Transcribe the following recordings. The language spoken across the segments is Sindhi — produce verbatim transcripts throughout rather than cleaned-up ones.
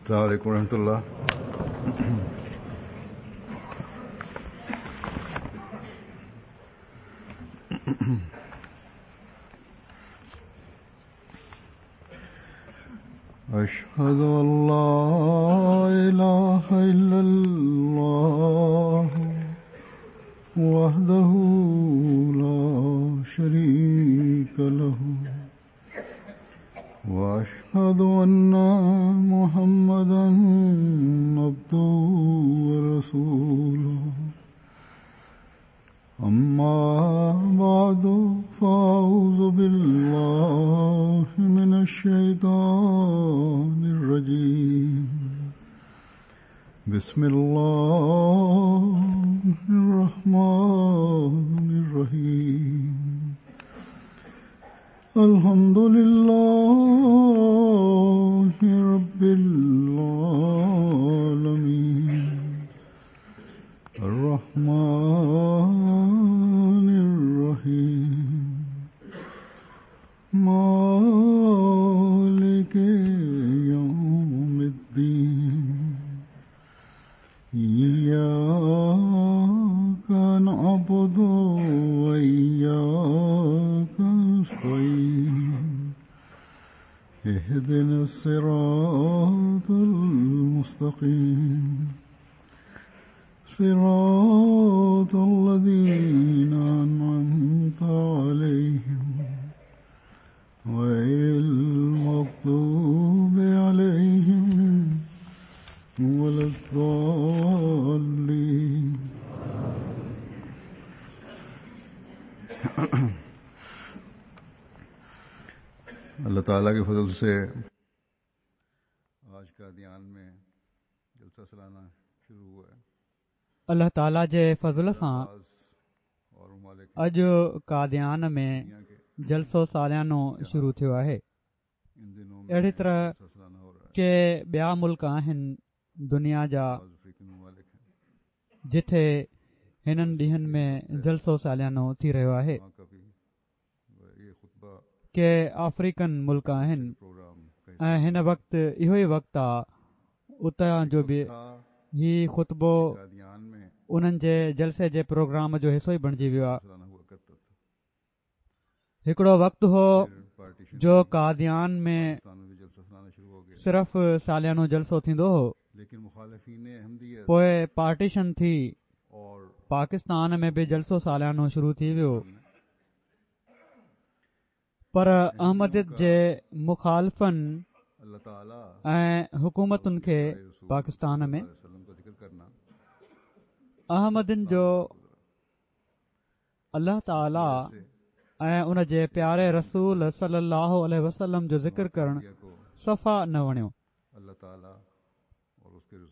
السلام علیکم ورحمۃ اللہ۔ اشهد ان لا اله الا الله وحده لا شريك له واشهد ان محمدا عبده ورسوله اما بعد فاعوذ بالله من الشيطان الرجيم بسم الله الرحمن الرحيم الحمد لله رب العالمين الرحمن الرحيم مالك يوم الدين إياك نعبد وإياك نستعين اهدنا الصراط المستقيم صراط الذين أنعمت عليهم غير المغضوب عليهم ولا الضالين۔ اللہ تعالیٰ کے فضل سے آج قادیان میں جلسہ سالانہ شروع ہوا ہے۔ الله تعاليٰ جي فضل سان اڄ قاديان ۾ جلسو ساليانو شروع ٿيو آهي۔ اهڙي طرح ڪي ٻيا ملڪ آهن دنيا جا جتي هنن ڏينهن ۾ جلسو ساليانو ٿي رهيو آهي۔ ڪي آفريڪن ملڪ آهن ۽ هن وقت اهو ئي وقت آهي اتان جو به هي خطبو انهن جي جلسي جي پروگرام جو حصو ئي بڻجي ويو آهي۔ هڪڙو وقت هو جو قاديان ۾ صرف ساليانو جلسو ٿيندو هو، پوءِ پارٽيشن ٿي، پاڪستان ۾ به جلسو ساليانو شروع ٿي ويو، پر احمديت جي مخالفن ۽ حڪومتن کي پاڪستان ۾ احمدين جو الله تعاليٰ ۽ ان جي پياري رسول صلي الله عليه وسلم جو ذڪر ڪرڻ صفا نه وڻيو،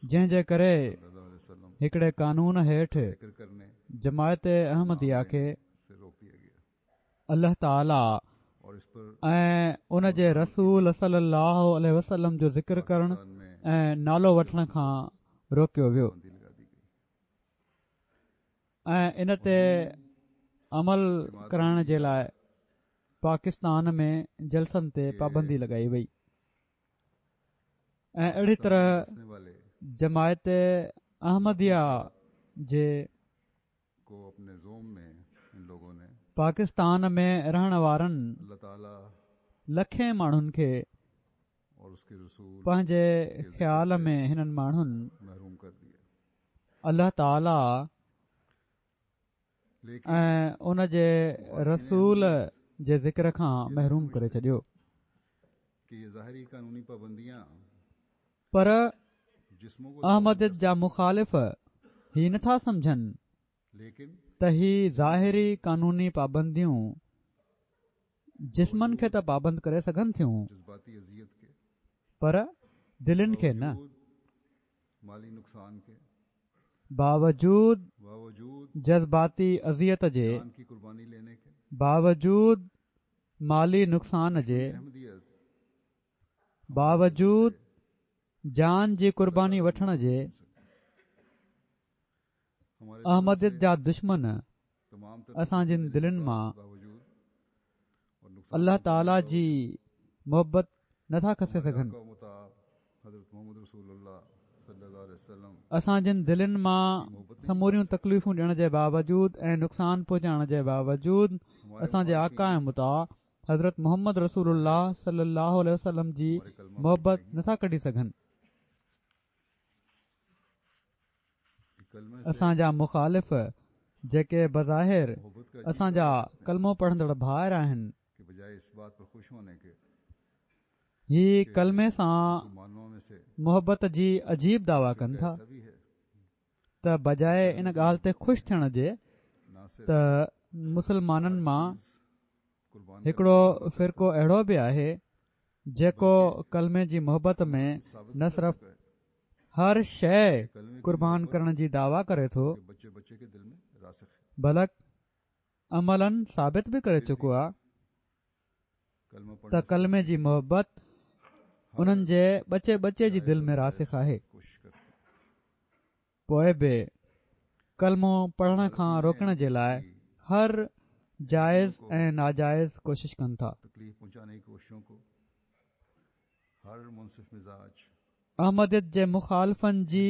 جنهن جي ڪري هڪڙي قانون هيٺ جماعت احمديه کي الله تعاليٰ ۽ ان جي رسول صلي الله عليه وسلم جو ذڪر ڪرڻ ۽ نالو وٺڻ کان روڪيو ويو ۽ ان تي عمل ڪرائڻ جي لاءِ پاڪستان ۾ جلسن تي پابندي لڳائي وئي ۽ اهڙي طرح جماعت احمديه جي پاڪستان ۾ رهڻ وارن لکين ماڻهن کي پنهنجي خيال ۾ هنن ماڻهن الله تعاليٰ ۽ ان جي رسول جي ذڪر کان محروم ڪري ڇڏيو۔ پر احمديت جا مخالف هي نٿا سمجهن ته هي ظاهري قانوني پابنديون جسمن کي ته پابند ڪري سگهن ٿيون پر دلين کي نه۔ باوجود جذباتي اذيت جي، باوجود مالي نقصان جي، باوجود جان جي قرباني وٺڻ جي، احمديت جا دشمن اسان جن دلين مان الله تعاليٰ جي محبت نٿا کسي سگهن۔ اسان جن دلين مان سموريون تڪليفون ڏيڻ جي باوجود ۽ نقصان پهچائڻ جي باوجود اسان جي آقا ۽ مطاع حضرت محمد رسول الله صلي الله عليه وسلم جي محبت نٿا ڪڍي سگهن. اسان جا مخالف جيڪي بظاهر اسان جا ڪلمو پڙهندڙ ڀائر آهن، هي ڪلمي سان محبت جي عجيب دعويٰ ڪن ٿا ته بجاءِ ان ڳالهه تي خوش ٿيڻ جي ته مسلمانن مان هڪڙو فرقو اهڙو به آهي جيڪو ڪلمي جي محبت ۾ نه صرف هر شيءِ قربان ڪرڻ جي دعويٰ ڪري ٿو بلڪ عملاً ثابت به ڪري چڪو آهي ته ڪلمي جي محبت انهن جي ٻچي ٻچي جي دل ۾ راسخ آهي. پوءِ به ڪلمو پڙهڻ کان روڪڻ جي لاءِ هر جائز ۽ ناجائز ڪوشش ڪن ٿا. احمديت جي مخالفن جي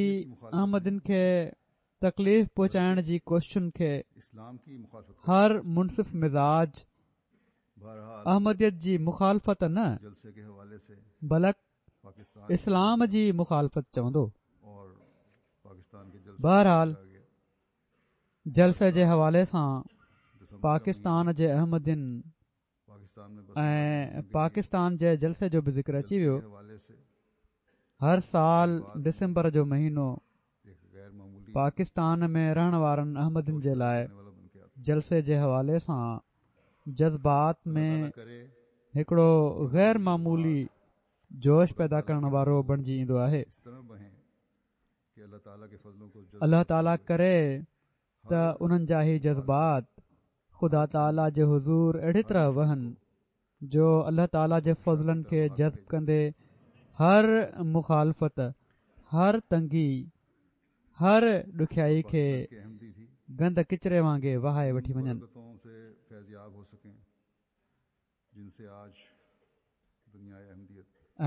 احمدين کي تڪليف پهچائڻ جي ڪوششن کي هر منصف مزاج احمديت جي مخالفت نه بلڪ اسلام جي مخالفت چوندو. بهرحال جلسي جي حوالي سان پاڪستان جي احمدين ۽ پاڪستان جي جلسي جو به ذڪر اچي ويو. هر سال ڊسمبر جو مهينو پاڪستان ۾ رهڻ وارن احمدين جي لاءِ جلسي جي حوالي سان جذبات ۾ هڪڙو غير معمولي جوش پيدا ڪرڻ وارو بڻجي ايندو آهي. الله تعاليٰ ڪري ته انهن جا هي جذبات خدا تعاليٰ جي حضور اهڙي طرح وهن جو الله تعاليٰ جي فضلن کي جذب ڪندي هر مخالفت، هر تنگي، هر ڏکيائي کي گند ڪچري وانگي وهائي وٺي وڃن.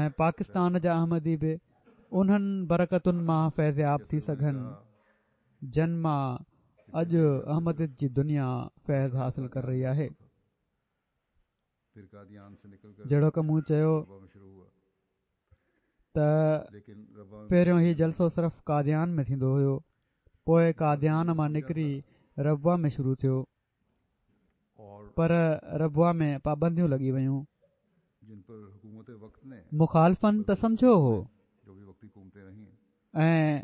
۽ پاڪستان جا احمدي به انهن برڪتن مان فيضياب ٿي سگهن جن مان اڄ احمديت جي دنيا فيض حاصل ڪري رهي آهي. جهڙوڪ مون چيو ته پهريون هي جلسو صرف قاديان ۾ ٿيندو هيو، پوءِ قاديان مان نڪري ربوه ۾ شروع ٿيو، پر ربوه ۾ پابنديون لڳي ويون. مخالفن ته سمجهيو هو ۽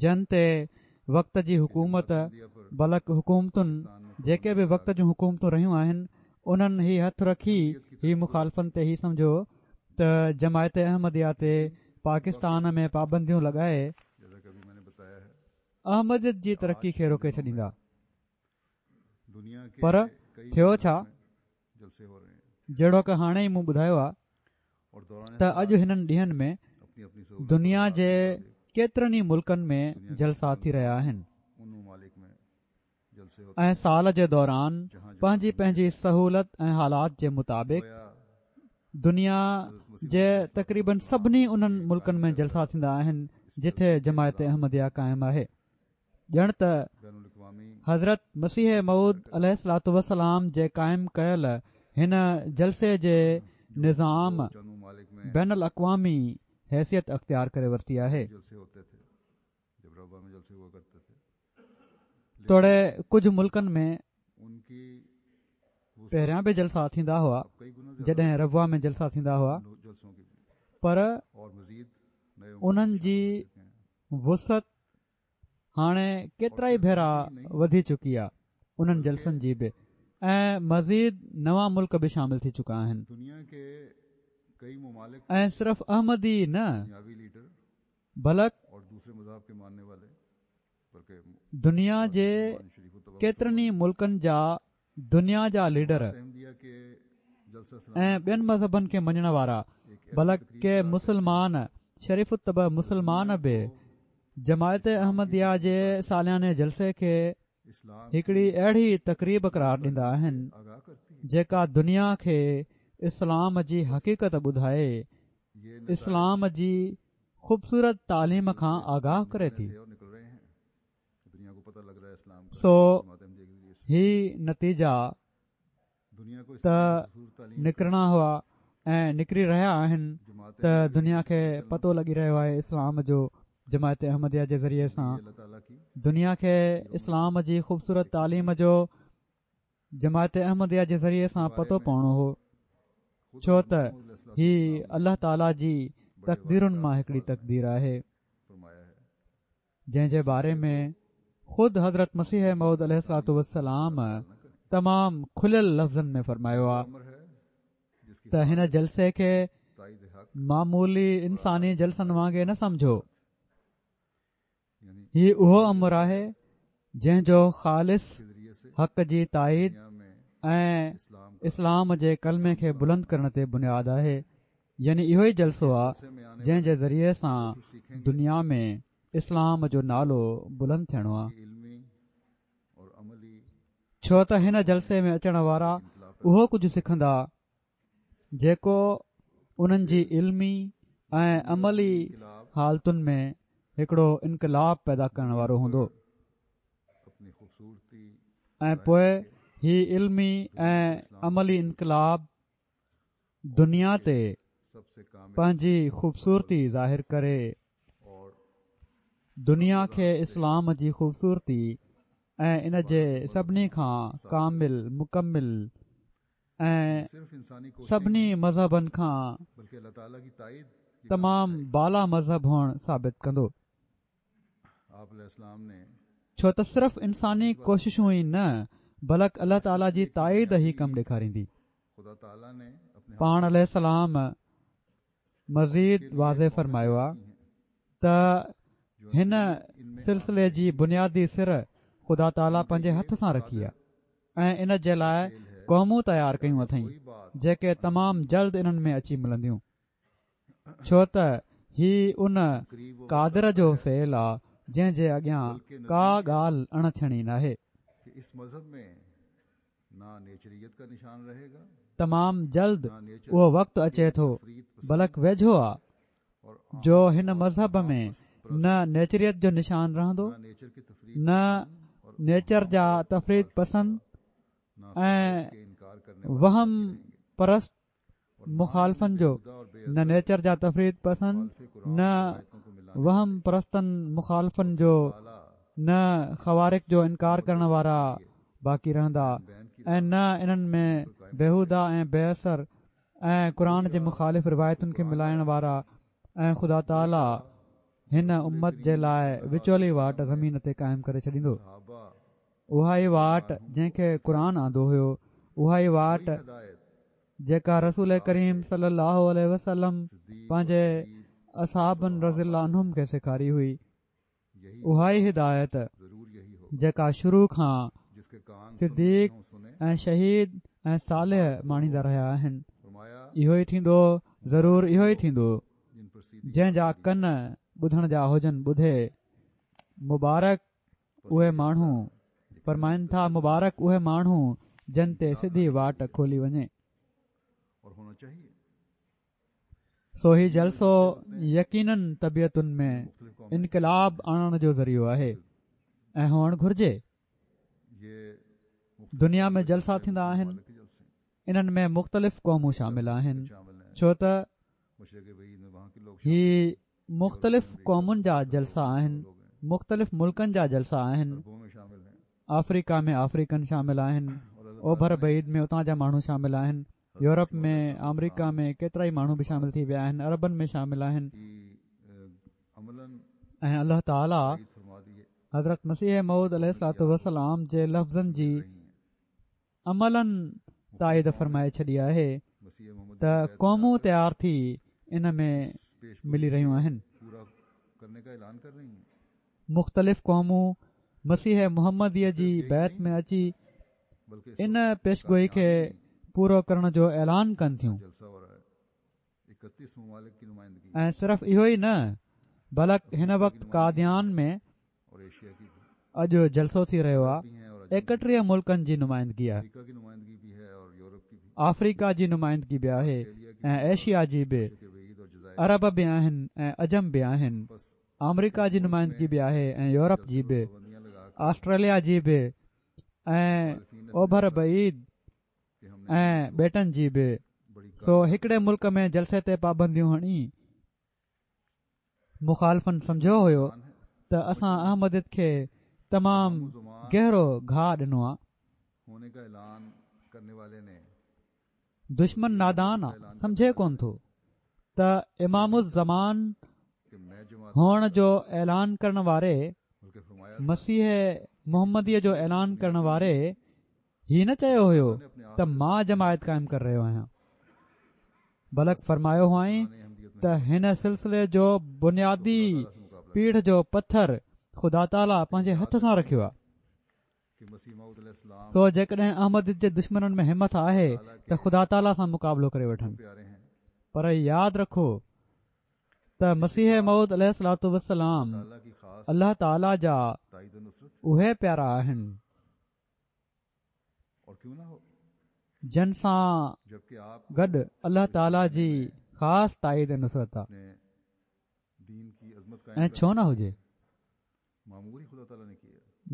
جن تي وقت جي حڪومت بلڪ حڪومتن جيڪي به وقت جون حڪومتون رهيون آهن انهن هي هٿ رکي هي مخالفن تي هي سمجهيو ته جماعت احمديه تي پاڪستان ۾ پابنديون لڳائي احمديت جي ترقي کي روڪي ڇڏيندا. پر ٿيو ڇا؟ جهڙوڪ هاڻي ئي مون ٻڌايو آهي ته اڄ هنن ڏينهن ۾ دنيا جي ڪيترن ئي ملڪن ۾ جلسا ٿي رهيا آهن ۽ سال جي دوران پنهنجي پنهنجي سهولت ۽ حالات جي مطابق دنيا جي تقريبن سڀني انهن ملڪن ۾ جلسا ٿيندا آهن جتي جماعت احمديه قائم آهي. ڄڻ ته حضرت مسيح موعود عليه الصلوة والسلام جي قائم ڪيل هن جلسي جي نظام بين الاقوامي حيثيت اختيار ڪري ورتي آهي. توڙي ڪجهه ملڪن ۾ پهريان به جلسا ٿيندا هئا جڏهن ربوه ۾ جلسا ٿيندا هئا، پر انهن جي وسعت هاڻي ڪيترا ئي ڀيرا وڌي چڪي آهي انهن جلسن جي به، ۽ مزيد نوان ملڪ به شامل ٿي چڪا آهن. ۽ صرف احمدي نه بلڪ دنيا جي ڪيترن ئي ملڪن جا دنيا جا ليڊر ۽ ٻين مذهبن کي مڃڻ وارا بلڪ ڪي مسلمان شريف الطبع مسلمان به جماعت احمديه جي سالياني جلسي کي هڪڙي اهڙي تقريب قرار ڏيندا آهن جيڪا دنيا کي اسلام جي حقيقت ٻڌائي اسلام جي خوبصورت تعليم کان آگاهه ڪري ٿي. سو هي نتيجا ته نڪرڻا هئا ۽ نڪري رهيا آهن ته دنيا کي پتو لڳي رهيو آهي اسلام جو جماعت احمديه جي ذريعي سان. دنيا کي اسلام جي خوبصورت تعليم جو جماعت احمديه جي ذريعي سان پتو پوڻو هو، ڇو ته هي الله تعاليٰ جي تقديرن مان هڪڙي تقدير آهي، جنهن جي باري ۾ خود حضرت مسيح موعود عليه الصلوة والسلام تمام کليل لفظن ۾ فرمايو آهي ته هن جلسي کي معمولي انساني جلسن وانگي نه سمجهو. هي اهو امر آهي جنهن جو خالص حق جي تائيد ۽ اسلام جي ڪلمي کي بلند ڪرڻ تي بنياد آهي. يعني اهو ئي جلسو آهي جنهن جي ذريعي سان دنيا ۾ اسلام جو نالو بلند ٿيڻو آهي، ڇو ته هن جلسي ۾ اچڻ وارا اهو ڪجهه سکندا جيڪو انهن جي علمي ۽ عملي حالتن ۾ هڪڙو انقلاب پيدا ڪرڻ وارو هوندو. ۽ پوءِ هي علمي ۽ عملي انقلاب دنيا تي پنهنجي خوبصورتي ظاهر ڪري دنيا کي اسلام جي خوبصورتي ۽ ان جي سڀني کان ڪامل، مڪمل ۽ سڀني مذهبن کان تمام بالا مذهب هئڻ ثابت ڪندو. ڇو ته صرف انساني ڪوششون ئي نه بلڪ الله تعاليٰ جي تائيد هي ڪم ڏيکاريندي. پاڻ عليه السلام مزيد واضح فرمايو آهي ته هن سلسلي جي بنيادي سر خدا تعاليٰ پنهنجي هٿ سان رکي آهي ۽ ان جي لاءِ قومون تيار ڪيون اٿئي جيڪي تمام جلد انهن ۾ اچي ملنديون، ڇو ته هي ان قادر جو فعل آهي جنهن جي اڳيان ڪا ڳالهه اڻ ٿيڻي ناهي. تمام جلد اهو وقت اچي ٿو، بلڪ ويجهو آهي، جو هن مذهب ۾ نه نيچريت جو نشان رهندو، نه نيچر جا تفريط پسند ۽ وهم پرست مخالفن جو، نه نيچر جا تفريط پسند، نه وهم پرستن مخالفن جو، نه خوارق جو انڪار ڪرڻ وارا باقي رهندا ۽ نه انهن ۾ بيهوده ۽ بي اثر ۽ قرآن جي مخالف روايتن کي ملائڻ وارا. ۽ خدا تعاليٰ هن امت جي لاءِ وچولي واٽ زمين تي قائم ڪري ڇڏيندو. اها ئي واٽ جنهن کي قرآن آندو هيو، اها ئي واٽ جيڪا رسول ڪريم صلي الله عليه وسلم پنهنجي اصحابن رضي الله عنهم کي سيکاري هئي، اها ئي هدايت جيڪا شروع کان صديق ۽ شهيد ۽ صالح ماڻيندا رهيا آهن. اهو ئي ٿيندو، ضرور اهو ئي ٿيندو. جنهن جا ڪن ٻڌڻ جا هجن ٻڌي. مبارڪ اهي ماڻهو، فرمائن ٿا، مبارڪ اهي ماڻهو جن تي سڌي واٽ کولي وڃي. سو هي جلسو يقينن طبيعتن ۾ انقلاب آڻڻ جو ذريعو آهي ۽ هئڻ گهرجي. دنيا ۾ جلسا ٿيندا آهن، انهن ۾ مختلف قومون شامل آهن، ڇو ته هي مختلف قومن جا جلسا آهن، مختلف ملڪن جا جلسا آهن. آفريڪا ۾ آفريڪن شامل آهن، اوڀر بعيد ۾ اتان جا ماڻهو شامل آهن، يورپ ۾ آمريڪا ۾ ڪيترائي ماڻهو به شامل ٿي ويا آهن، عربن ۾ شامل آهن. ۽ الله تعاليٰ حضرت مسيح موعود عليه الصلوة والسلام جي لفظن جي عملاً تائيد فرمائي ڇڏي آهي ته قومون تيار ٿي ان ۾ ملي رهيون آهن. مختلف قومون مسيح محمديءَ جي بيعت ۾ اچي ان پيشگوئي کي پورو ڪرڻ جو اعلان ڪن ٿيون. ۽ صرف اهو ئي نه بلڪ هن وقت قاديان ۾ اڄ جلسو ٿي رهيو آهي، ايڪٽيهه ملڪن جي نمائندگي آهي، آفريڪا جي نمائندگي به آهي ۽ ايشيا جي به، عرب به آهن ۽ عجم به آهن، آمريڪا جي نمائندگي به آهي ۽ يورپ جي به، آسٽريليا جي به ۽ اوڀر بعيد ۽ ٻيٽن جي به. سو هڪڙي ملڪ ۾ جلسي تي پابنديون هڻي مخالفن سمجهيو هيو ته اسان احمديت کي تمام گهرو گهاءُ ڏنو آهي. دشمن نادان آ، سمجهي ڪونه ٿو ته امام الزمان هئڻ جو اعلان ڪرڻ واري، مسيح محمديء جو اعلان ڪرڻ واري هي نه چيو هيو ته مان جماعت قائم ڪري رهيو آهيان، بلڪ فرمايو هئائين ته هن سلسلي جو بنيادي پيڙهه جو پٿر خدا تعاليٰ پنهنجي هٿ سان رکيو آهي. سو جيڪڏهن احمديت جي دشمنن ۾ همت آهي ته خدا تعاليٰ سان مقابلو ڪري وٺن، پر ياد رکو ته مسيح موعود عليه الصلوة والسلام الله تعاليٰ جا اهي پيارا آهن جن سان گڏ الله تعاليٰ جي خاص تائيد ۽ نصرت آهي، ۽ ڇو نه هجي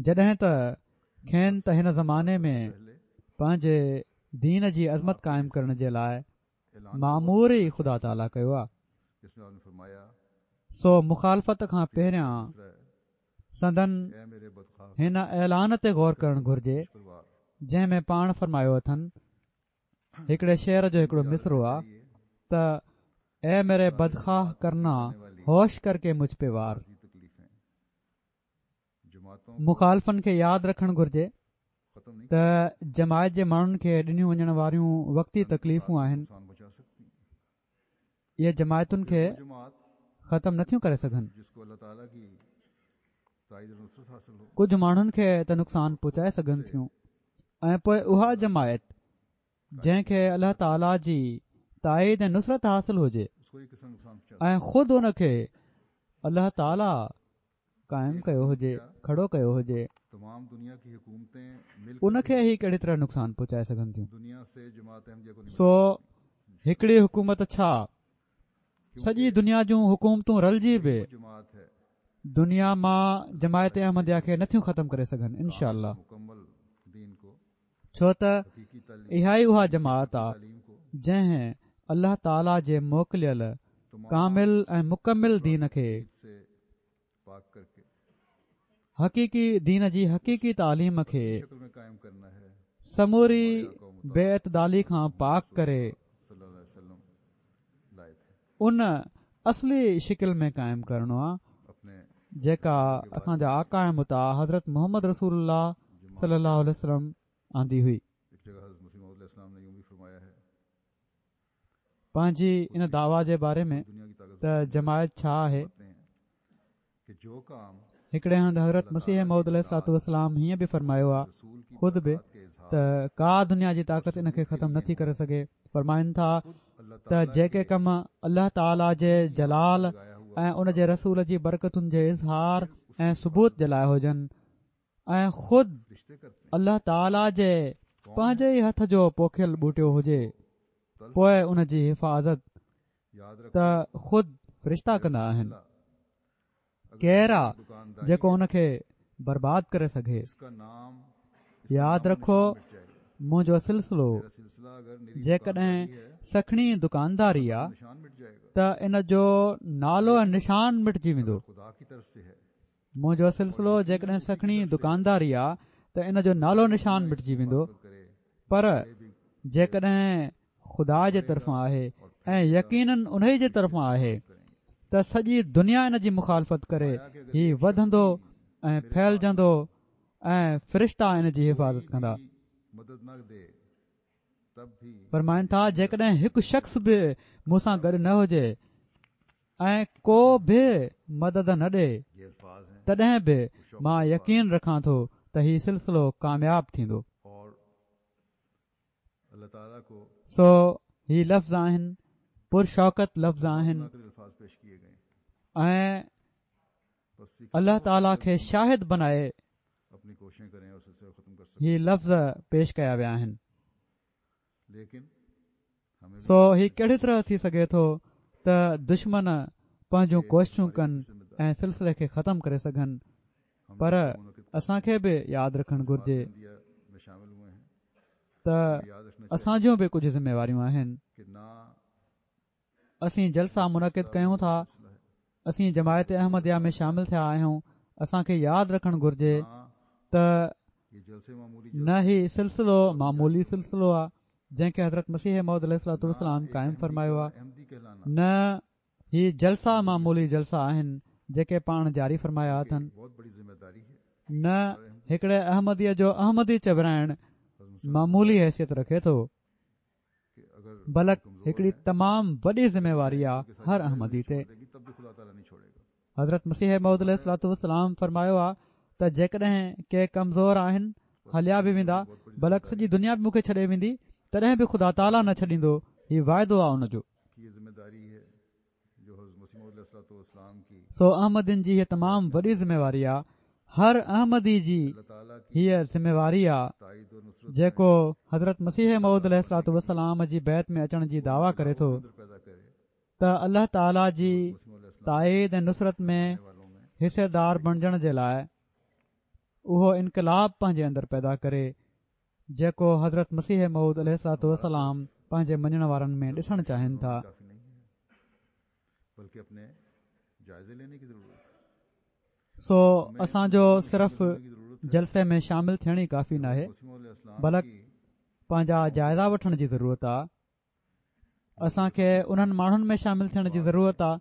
جڏهن ته کين ته هن زماني ۾ پنهنجي دين جي عظمت قائم ڪرڻ جي لاءِ مامور ئي خدا تعاليٰ ڪيو آهي. سو مخالفت کان پهريان سندن هن اعلان تي غور ڪرڻ گهرجي جنهن ۾ پاڻ فرمايو اٿن، هڪڙي شعر جو هڪڙو مصرعو آ ته اي ميري بدخواه ڪرنا هوش ڪر ڪي مجهه پي وار. مخالفن کي ياد رکڻ گهرجي ته جماعت جي ماڻهن کي ڏنيون وڃڻ واريون وقتي تڪليفون آهن، اهي جماعتن کي ختم نٿيون ڪري سگهن. ڪجهه ماڻهن کي ته نقصان پهچائي سگهن ٿيون، ۽ پوءِ اها جماعت جنهن کي الله تعاليٰ جي تائيد ۽ نصرت حاصل هجي ۽ خود ان کي الله تعاليٰ قائم ڪيو هجي، کڙو ڪيو هجي، ان کي هي ڪهڙي طرح نقصان پهچائي سگهن ٿيون؟ سو هڪڙي حڪومت ڇا سڄي دنيا جون حڪومتون رلجي به دنيا مان جماعت احمديه کي نٿيون ختم ڪري سگهن انشاء الله، ڇو ته اها ئي اها جماعت آ جنهن الله تعاليٰ جي موڪليل ڪامل ۽ مڪمل دين کي، حقيقي دين جي حقيقي تعليم کي سموري بي اعتدالي کان پاڪ ڪري ان اصلي شڪل ۾ قائم ڪرڻو آ جيڪا اسان جا آقا ۽ مطاع حضرت محمد رسول الله صلي الله عليه وسلم آندي هئي. پنهنجي ان دعويٰ جي باري ۾ ته جماعت ڇا آهي، هڪڙي هنڌ حضرت مسيح موعود عليه الصلوة والسلام هيئن به فرمايو آ خود به ته ڪا دنيا جي طاقت ان کي ختم نٿي ڪري سگهي. فرمائن ٿا ته جيڪي ڪم الله تعاليٰ جي جلال ۽ ان جي رسول جي برڪتن جي اظهار ۽ ثبوت جي لاءِ هجن ۽ خود الله تعاليٰ جي پنهنجي ئي هٿ جو پوکيل ٻوٽيو هجي، پوءِ ان جي حفاظت ته خود فرشتا ڪندا آهن. ڪير آ جيڪو ان کي برباد ڪري سگهي؟ ياد رکو منهنجو سلسلو جيڪڏهن سکڻي دڪانداري آ ته ان جو نالو ۽ نشان مٽجي ويندو. منهنجو سلسلو جيڪڏهن سکڻي دڪانداري آ ته ان جو نالو نشان مٽجي ويندو، پر جيڪڏهن خدا جي طرفان آهي ۽ يقينن انهي جي طرفان آهي ته سڄي دنيا ان جي مخالفت ڪري، هي وڌندو ۽ ڦهلجندو ۽ فرشتا ان جي حفاظت ڪندا. فرمائن ٿا جيڪڏهن هڪ شخص به مون سان گڏ نه هجي ۽ ڪو به مدد نه ڏئي تڏهن به مان يقين رکان ٿو ته هي سلسلو ڪامياب ٿيندو. سو هي لفظ آهن، پرشوڪت لفظ آهن ۽ الله تعاليٰ کي شاهد بنائي هي لفظ پيش ڪيا ويا آهن. سو هي ڪهڙي طرح ٿي سگهي ٿو ته دشمن پنهنجون ڪوششون ڪن ۽ سلسلي کي ختم ڪري سگهن، پر اسان کي به ياد رکڻ گهرجي ته اسان جون به ڪجهه ذميواريون آهن. اسين جلسا منعقد ڪيون ٿا، اسين جماعت احمديه ۾ شامل ٿيا آهيون. اسان کي ياد رکڻ گهرجي ته نه هي سلسلو معمولي سلسلو آهي جنهن کي حضرت مسيح موعود عليه الصلوة والسلام قائم فرمايو آهي، نه هي جلسا معمولي جلسا آهن جيڪي پاڻ جاري فرمايا اٿن، نه هڪڙي احمديء جو احمدي چورائڻ معمولي حيثيت رکي ٿو، بلڪ هڪڙي تمام وڏي ذميواري آهي هر احمدي تي. حضرت مسيح موعود عليه الصلوة والسلام فرمايو آهي ته جيڪڏهن ڪي ڪمزور آهن هليا به ويندا، بلڪ سڄي دنيا به مون کي ڇڏي ويندي، تڏهن به خدا تعاليٰ نه ڇڏيندو. هي واعدو آهي ان جو. سو احمدين جي هيء تمام وڏي ذميواري آهي، هر احمدي جي هيء ذميواري آهي جيڪو حضرت مسيح موعود عليه الصلوة والسلام جي بيعت ۾ اچڻ جي دعويٰ ڪري ٿو ته الله تعاليٰ جي تائيد ۽ نصرت ۾ حصيدار بڻجڻ جي لاءِ اهو انقلاب پنهنجي اندر پيدا ڪري جيڪو حضرت مسيح موعود عليه الصلوة والسلام پنهنجي مڃڻ وارن ۾ ڏسڻ چاهين ٿا. سو اسان جو صرف جلسي ۾ شامل ٿيڻ ئي ڪافي ناهي، بلڪ پنهنجا جائزا وٺڻ جي ضرورت آهي. اسان کي انهن ماڻهن ۾ شامل ٿيڻ جي ضرورت آهي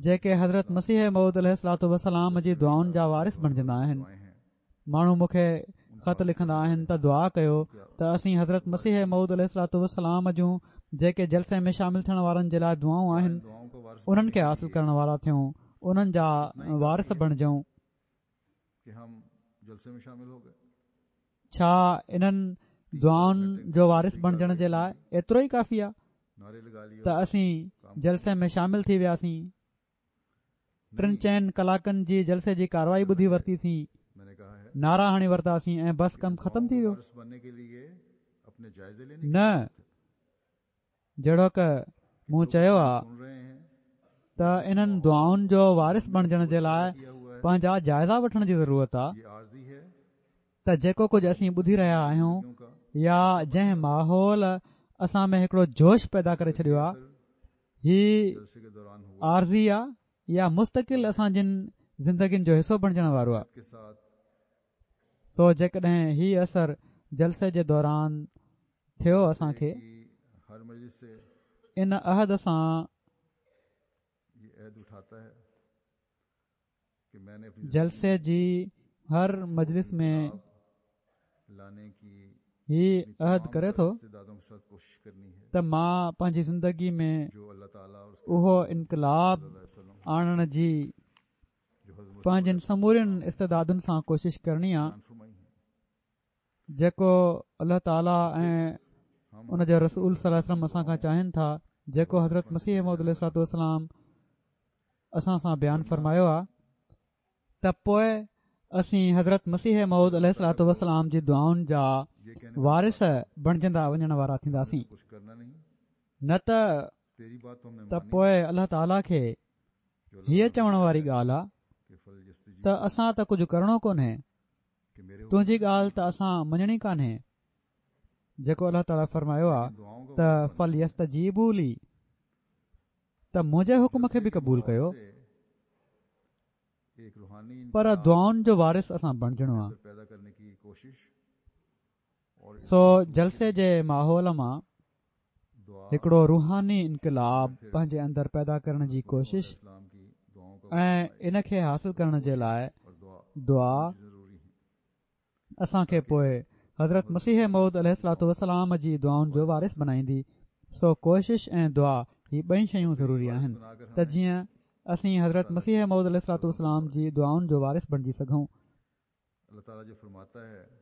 جيڪي حضرت مسيح موعود عليه الصلوة والسلام جي دعائن جا وارث بڻجندا آهن. ماڻهو مون کي خط لکندا آهن ته دعا ڪيو ته اسين حضرت مسيح موعود عليه الصلوة والسلام جون جيڪي جلسي ۾ شامل ٿيڻ وارن جي لاءِ دعائون آهن انهن کي حاصل ڪرڻ وارا ٿيون، انهن جا وارث بڻجون. ڇا انهن دعائن جو وارث بڻجڻ جي لاءِ ايترو ئي ڪافي آهي ته اسين جلسي ۾ شامل ٿي وياسين، ٽن چئن ڪلاڪن جي جلسي جي ڪارروائي ٻڌي ورتيسين، نعرا هڻي ورتاسين ۽ بس ڪم ختم ٿي ويو؟ نه، جهڙوڪ مون چيو آهي ته انهن دعائن جو وارث بڻجڻ جي لاءِ پنهنجا جائزا وٺڻ جي ضرورت آهي ته جيڪو ڪجهه اسين ٻڌي رهيا آهيون يا جنهن ماحول اسان ۾ هڪڙو جوش پيدا ڪري ڇڏيو آهي، هي عارضي آهي يا مستقل اسان جن زندگين جو حصو بڻجڻ وارو آهي. سو جيڪڏهن هي اثر جلسي جي دوران ٿيو اسان کي ان عهد سان جلسي جي هر مجلس ۾ هي عهد ڪري ٿو ته مان پنهنجي زندگي ۾ اهو انقلاب آڻڻ جي پنهنجن سمورين استعدادن سان ڪوشش ڪرڻي آهي جيڪو الله تعاليٰ ۽ ان جا رسول صلي الله عليه وسلم اسان کان چاهين ٿا، جيڪو حضرت مسيح موعود عليه الصلوة والسلام اسان سان بيان فرمايو آهي، ته پوءِ اسين حضرت مسيح موعود عليه الصلوة والسلام جي دعائن جا وارث بڻجندا وڃڻ وارا ٿينداسين. نه ته ته پوءِ الله تعاليٰ کي هيءَ چوڻ واري ڳالهه آهي ته اسان ته ڪجهه ڪرڻو ڪونهي، تنهنجي ڳالهه ته اسان مڃڻي ڪانهي. جيڪو الله تعاليٰ فرمايو آهي ته فليستجيبوا لي، ته منهنجي حڪم کي به قبول ڪيو، پر دعائن جو وارث اسان بڻجڻو آهي. سو جلسي جي ماحول مان هڪڙو روحاني انقلاب پنهنجي اندر پيدا ڪرڻ جي ڪوشش ۽ ان کي حاصل ڪرڻ جي لاءِ دعا اسان کي پوءِ حضرت مسيح موعود عليه الصلوة والسلام جي دعائن جو وارث بڻائيندي. سو ڪوشش ۽ دعا هي ٻئي شيون ضروري آهن ته جيئن اسين حضرت مسيح موعود عليه الصلوة والسلام جي دعائن جو وارث بڻجي سگهون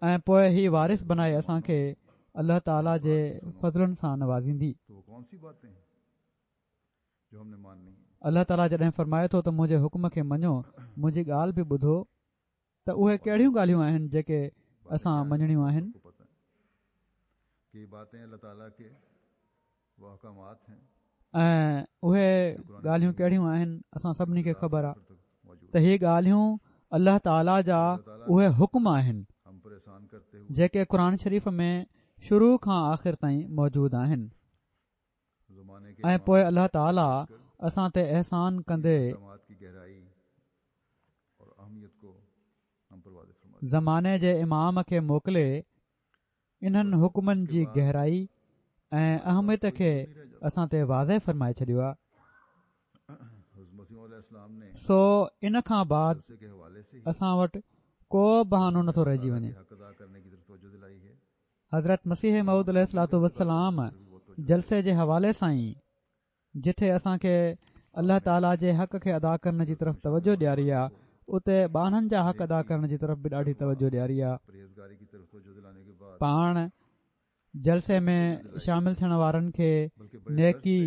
۽ پوءِ هي وارث بنائي اسان کي الله تعاليٰ جي فضلن سان نوازيندي. الله تعاليٰ جڏهن فرمائي ٿو ته منهنجي حڪم کي مڃو، منهنجي ڳالهه به ٻڌو، ته اهي ڪهڙيون ڳالهيون آهن جيڪي اسان مڃڻيون آهن؟ ۽ اهي ڳالهيون ڪهڙيون آهن اسان سڀني کي خبر آهي ته هي ڳالهيون الله تعاليٰ جا اهي حڪم آهن جيڪي قرآن شريف ۾ شروع کان آخر تائين موجود آهن. ۽ پوءِ الله تعاليٰ اسان تي احسان ڪندي زماني جي امام کي موڪلي انهن حڪمن جي گهرائي ۽ اهميت کي اسان تي واضح فرمائي ڇڏيو آهي. سو ان کان بعد اسان وٽ ڪو بهانو نٿو رهجي وڃي. حضرت مسيح موعود عليه الصلوة والسلام جلسي جي حوالي سان ئي جتي اسان کي الله تعاليٰ جي حق کي ادا ڪرڻ جي طرف توجه ڏياري آهي، اتي ٻانهن جا حق ادا ڪرڻ جي طرف به ڏاڍي توجه ڏياري آهي. پاڻ جلسي ۾ شامل ٿيڻ وارن کي نيڪي،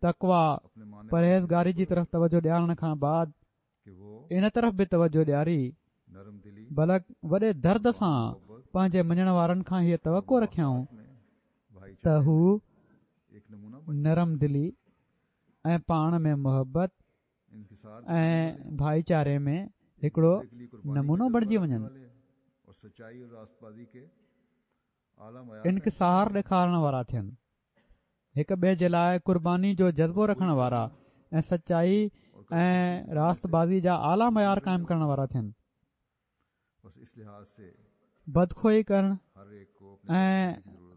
تقويٰ، پرهيزگاري جي طرف توجه ڏيارڻ کان بعد ان طرف به توجه ڏياري، بلڪ وڏي درد سان پنهنجي مڃڻ وارن کان هيءَ توقع رکيائون ته هو نرم دلي ۽ پاڻ ۾ محبت ۽ ڀائيچاري ۾ هڪڙو نمونو بڻجي وڃن، انڪسار ڏيکارڻ وارا ٿين، هڪ ٻئي جي لاءِ قرباني جو جذبو رکڻ وارا ۽ سچائي ۽ راستبازي جا اعليٰ معيار قائم ڪرڻ وارا ٿين. بدخوئي ڪرڻ ۽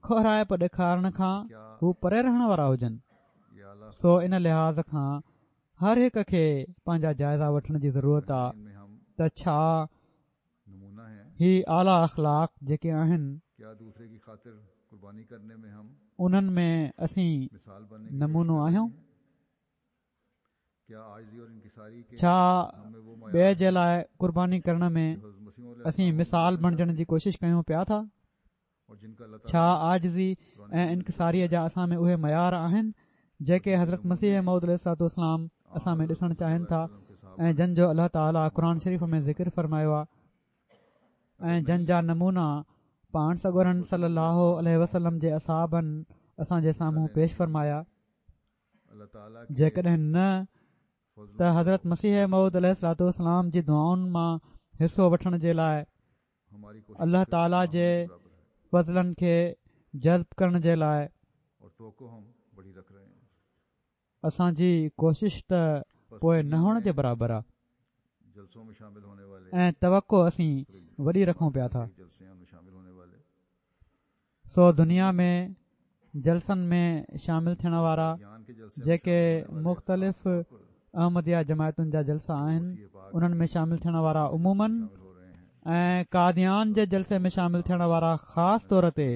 کوهرائپ ڏيکارڻ کان هو پري رهڻ وارا هجن. سو ان لحاظ کان هر هڪ کي پنهنجا جائزا وٺڻ جي ضرورت آهي ته ڇا هي اعليٰ اخلاق جيڪي آهن انهن ۾ اسين نمونو آهيون؟ ڇا ٻئي جي لاءِ قرباني ڪرڻ ۾ اسين مثال بڻجڻ جي ڪوشش ڪيون پيا ٿا؟ ڇا عاجزي ۽ انڪساريءَ جا اسان ۾ اهي معيار آهن جيڪي حضرت مسيح موعود عليه الصلوة والسلام اسان ۾ ڏسڻ چاهين ٿا ۽ جن جو الله تعاليٰ قرآن شريف ۾ ذڪر فرمايو آهي ۽ جن جا نمونا پاڻ سڳورن صلي الله عليه وسلم جي اصحابن اسان جي سامهون پيش فرمايا؟ جيڪڏهن نه ته حضرت مسيح موعود عليه الصلوة والسلام جي دعائن مان حصو وٺڻ جي لاءِ الله تعاليٰ جي فضلن کي جذب ڪرڻ جي لاءِ اسان جي ڪوشش ته پوءِ نه هئڻ جي برابر آهي ۽ توقع اسين وڏي رکون پيا ٿا. سو دنيا ۾ جلسن ۾ شامل ٿيڻ وارا جيڪي مختلف احمديه جماعتن جا جلسا آهن انهن ۾ شامل ٿيڻ وارا عموماً ۽ قاديان جي جلسي ۾ شامل ٿيڻ وارا خاص طور تي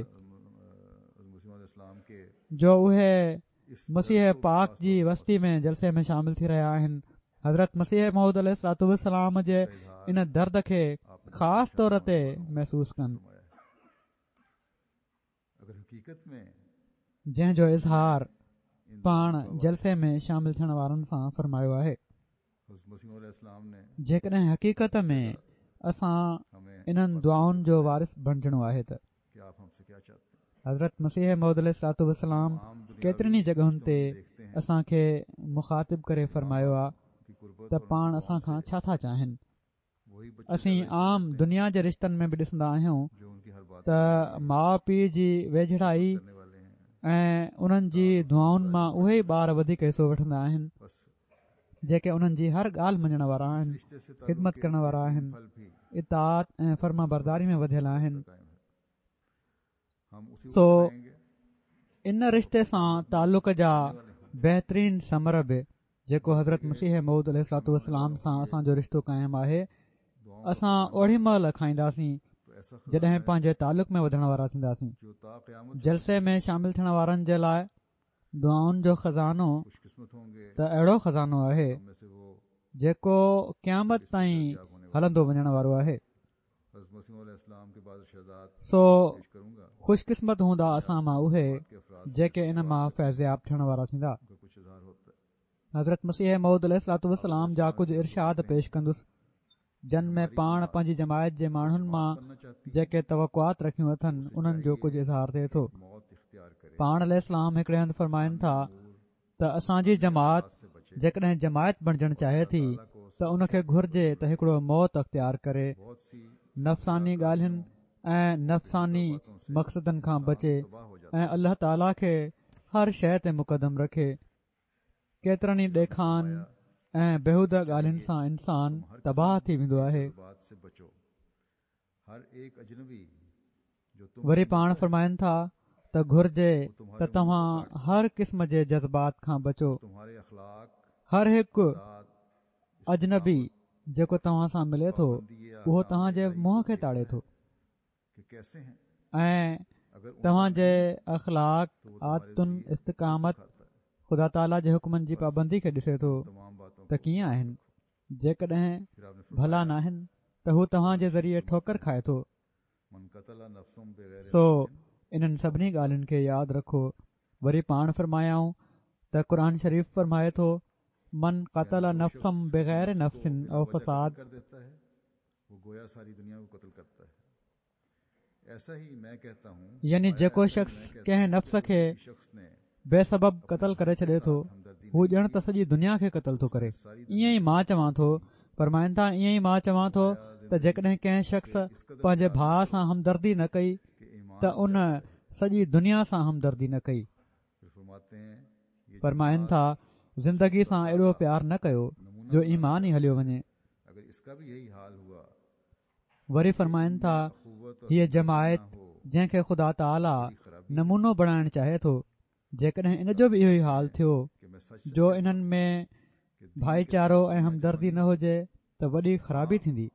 جو اهي مسيح پاڪ جي وستي ۾ جلسي ۾ شامل ٿي رهيا آهن، حضرت مسيح موعود عليه الصلوة والسلام جي ان درد کي خاص طور تي محسوس ڪن، جنهن جو اظهار پاڻ جلسي ۾ شامل ٿيڻ وارن سان فرمايو آهي. جيڪڏهن حقيقت ۾ اسان انهن دعائن جو وارث بڻجڻو آهي ته حضرت مسيح موعود عليه الصلوة والسلام ڪيترين ئي جڳهن تي اسان کي مخاطب ڪري فرمايو آهي ته پاڻ اسان کان ڇا ٿا چاهين. اسين عام دنيا جي رشتن ۾ به ڏسندا آهيون ته ماءُ پيءُ جي ويجهڙائي ۽ انهن جي دعائن مان اهي ئي ٻار وڌيڪ حصو وٺندا آهن جيڪي انهن جي هر ڳالهه مڃڻ وارا آهن، خدمت ڪرڻ وارا آهن، اطاعت ۽ فرمانبرداري ۾ وڌيل آهن. سو ان رشتي سان تعلق جا بهترين ثمر به جيڪو حضرت مسيح موعود عليه الصلوة والسلام سان اسان جو رشتو قائم آهي، اسان اوڏي مهل کائينداسين جڏهن پنهنجي تعلق ۾ وڌڻ وارا ٿينداسين. جلسي ۾ شامل ٿيڻ وارن جي لاءِ دعائن جو خزانو ته اهڙو خزانو آهي جيڪو قيامت تائين هلندو وڃڻ وارو آهي. سو خوش قسمت هوندا اسان مان اهي جيڪي ان مان فيضياب ٿيڻ وارا ٿيندا. حضرت مسيح موعود عليه الصلوة والسلام جا ڪجهه ارشاد پيش ڪندس جن ۾ پاڻ پنهنجي جماعت جي ماڻهن مان جيڪي توقعات رکيون اٿن انهن جو ڪجهه اظهار ٿئي ٿو. پاڻ عليه السلام هڪڙي هنڌ فرمائن ٿا ته اسان جي جماعت جيڪڏهن جماعت بڻجڻ چاهي ٿي ته ان کي گهرجي ته هڪڙو موت اختيار ڪري، نفساني ڳالهين ۽ نفساني مقصدن کان بچي ۽ الله تعاليٰ کي هر شيءِ تي مقدم رکي. ڪيترن ئي ڏيکان ۽ بيهوده ڳالهين سان انسان تباهه ٿي ويندو آهي. وري پاڻ فرمائن ٿا ته گهرجي ته توهان هر قسم جي جذبات کان بچو. هر هڪ اجنبي جيڪو توهان سان ملي ٿو اهو توهان جي منهن کي تاڙي ٿو ۽ توهان جي اخلاق، عادتن، استقامت، خدا تعاليٰ جي حڪمن جي پابندي کي ڏسي ٿو ته ڪيئن آهن. جيڪڏهن ڀلا ناهن ته هو توهان جي ذريعي ٺوڪر کائي ٿو. سو انهن سڀني ڳالهين کي ياد رکو. وري پاڻ فرمايائون ته قرآن شريف فرمائي ٿو من قتل نفسا بغير نفس او فساد، يعني جيڪو شخص ڪنهن نفس کي بي سبب قتل ڪري ڇڏي ٿو هو ڄڻ ته سڄي دنيا کي قتل ٿو ڪري. ائين ئي مان چوان ٿو، فرمائن ٿا ائين ئي مان چوان ٿو ته جيڪڏهن ڪنهن شخص پنهنجي ڀاء سان همدردي نه ڪئي ته ان سڄي دنيا سان همدردي نه ڪئي. فرمائن ٿا زندگي سان ايڏو پيار نه ڪيو جو ايمان ئي هليو وڃي. وري فرمائن ٿا هيءَ جماعت جنهن کي خدا تعاليٰ نمونو بڻائڻ چاهي ٿو، جيڪڏهن ان جو به اهو ئي حال ٿيو جو انهن ۾ ڀائيچارو ۽ همدردي نه هجي ته وڏي خرابي ٿيندي.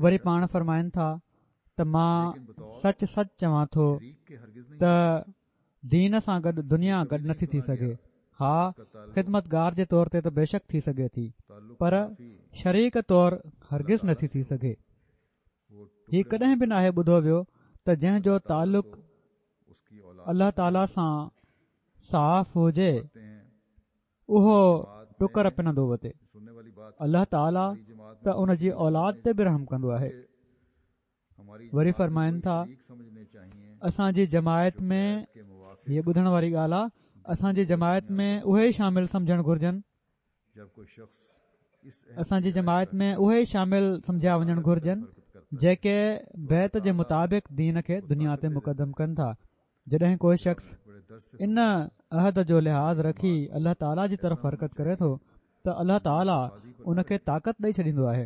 وري پاڻ فرمائن ٿا ته مان سچ سچ چوان ٿو ته دين سان گڏ دنيا گڏ نٿي ٿي سگهي. ها، خدمتگار جي طور تي ته بيشڪ ٿي سگهي ٿي، پر شريڪ طور هرگز نٿي ٿي سگهي. هي ڪڏهن به ناهي ٻڌو ويو ته جنهن جو تعلق الله تعاليٰ سان صاف هجي اهو ٽڪر پنندو وتي. الله تعاليٰ ته ان جي اولاد تي به رحم ڪندو آهي. وري فرمائن ٿا اسان جي جماعت ۾ هيءَ ٻڌڻ واري ڳالهه آهي، اسان جي جماعت ۾ اهي ئي شامل سمجهڻ گهرجن، اسان جي جماعت ۾ اهي ئي شامل سمجهيا وڃڻ گهرجن جيڪي بيعت جي مطابق دين کي دنيا تي مقدم ڪن ٿا. جڏهن ڪو شخص ان عهد جو لحاظ رکي الله تعاليٰ جي طرف حرڪت ڪري ٿو ته الله تعاليٰ ان کي طاقت ڏئي ڇڏيندو آهي.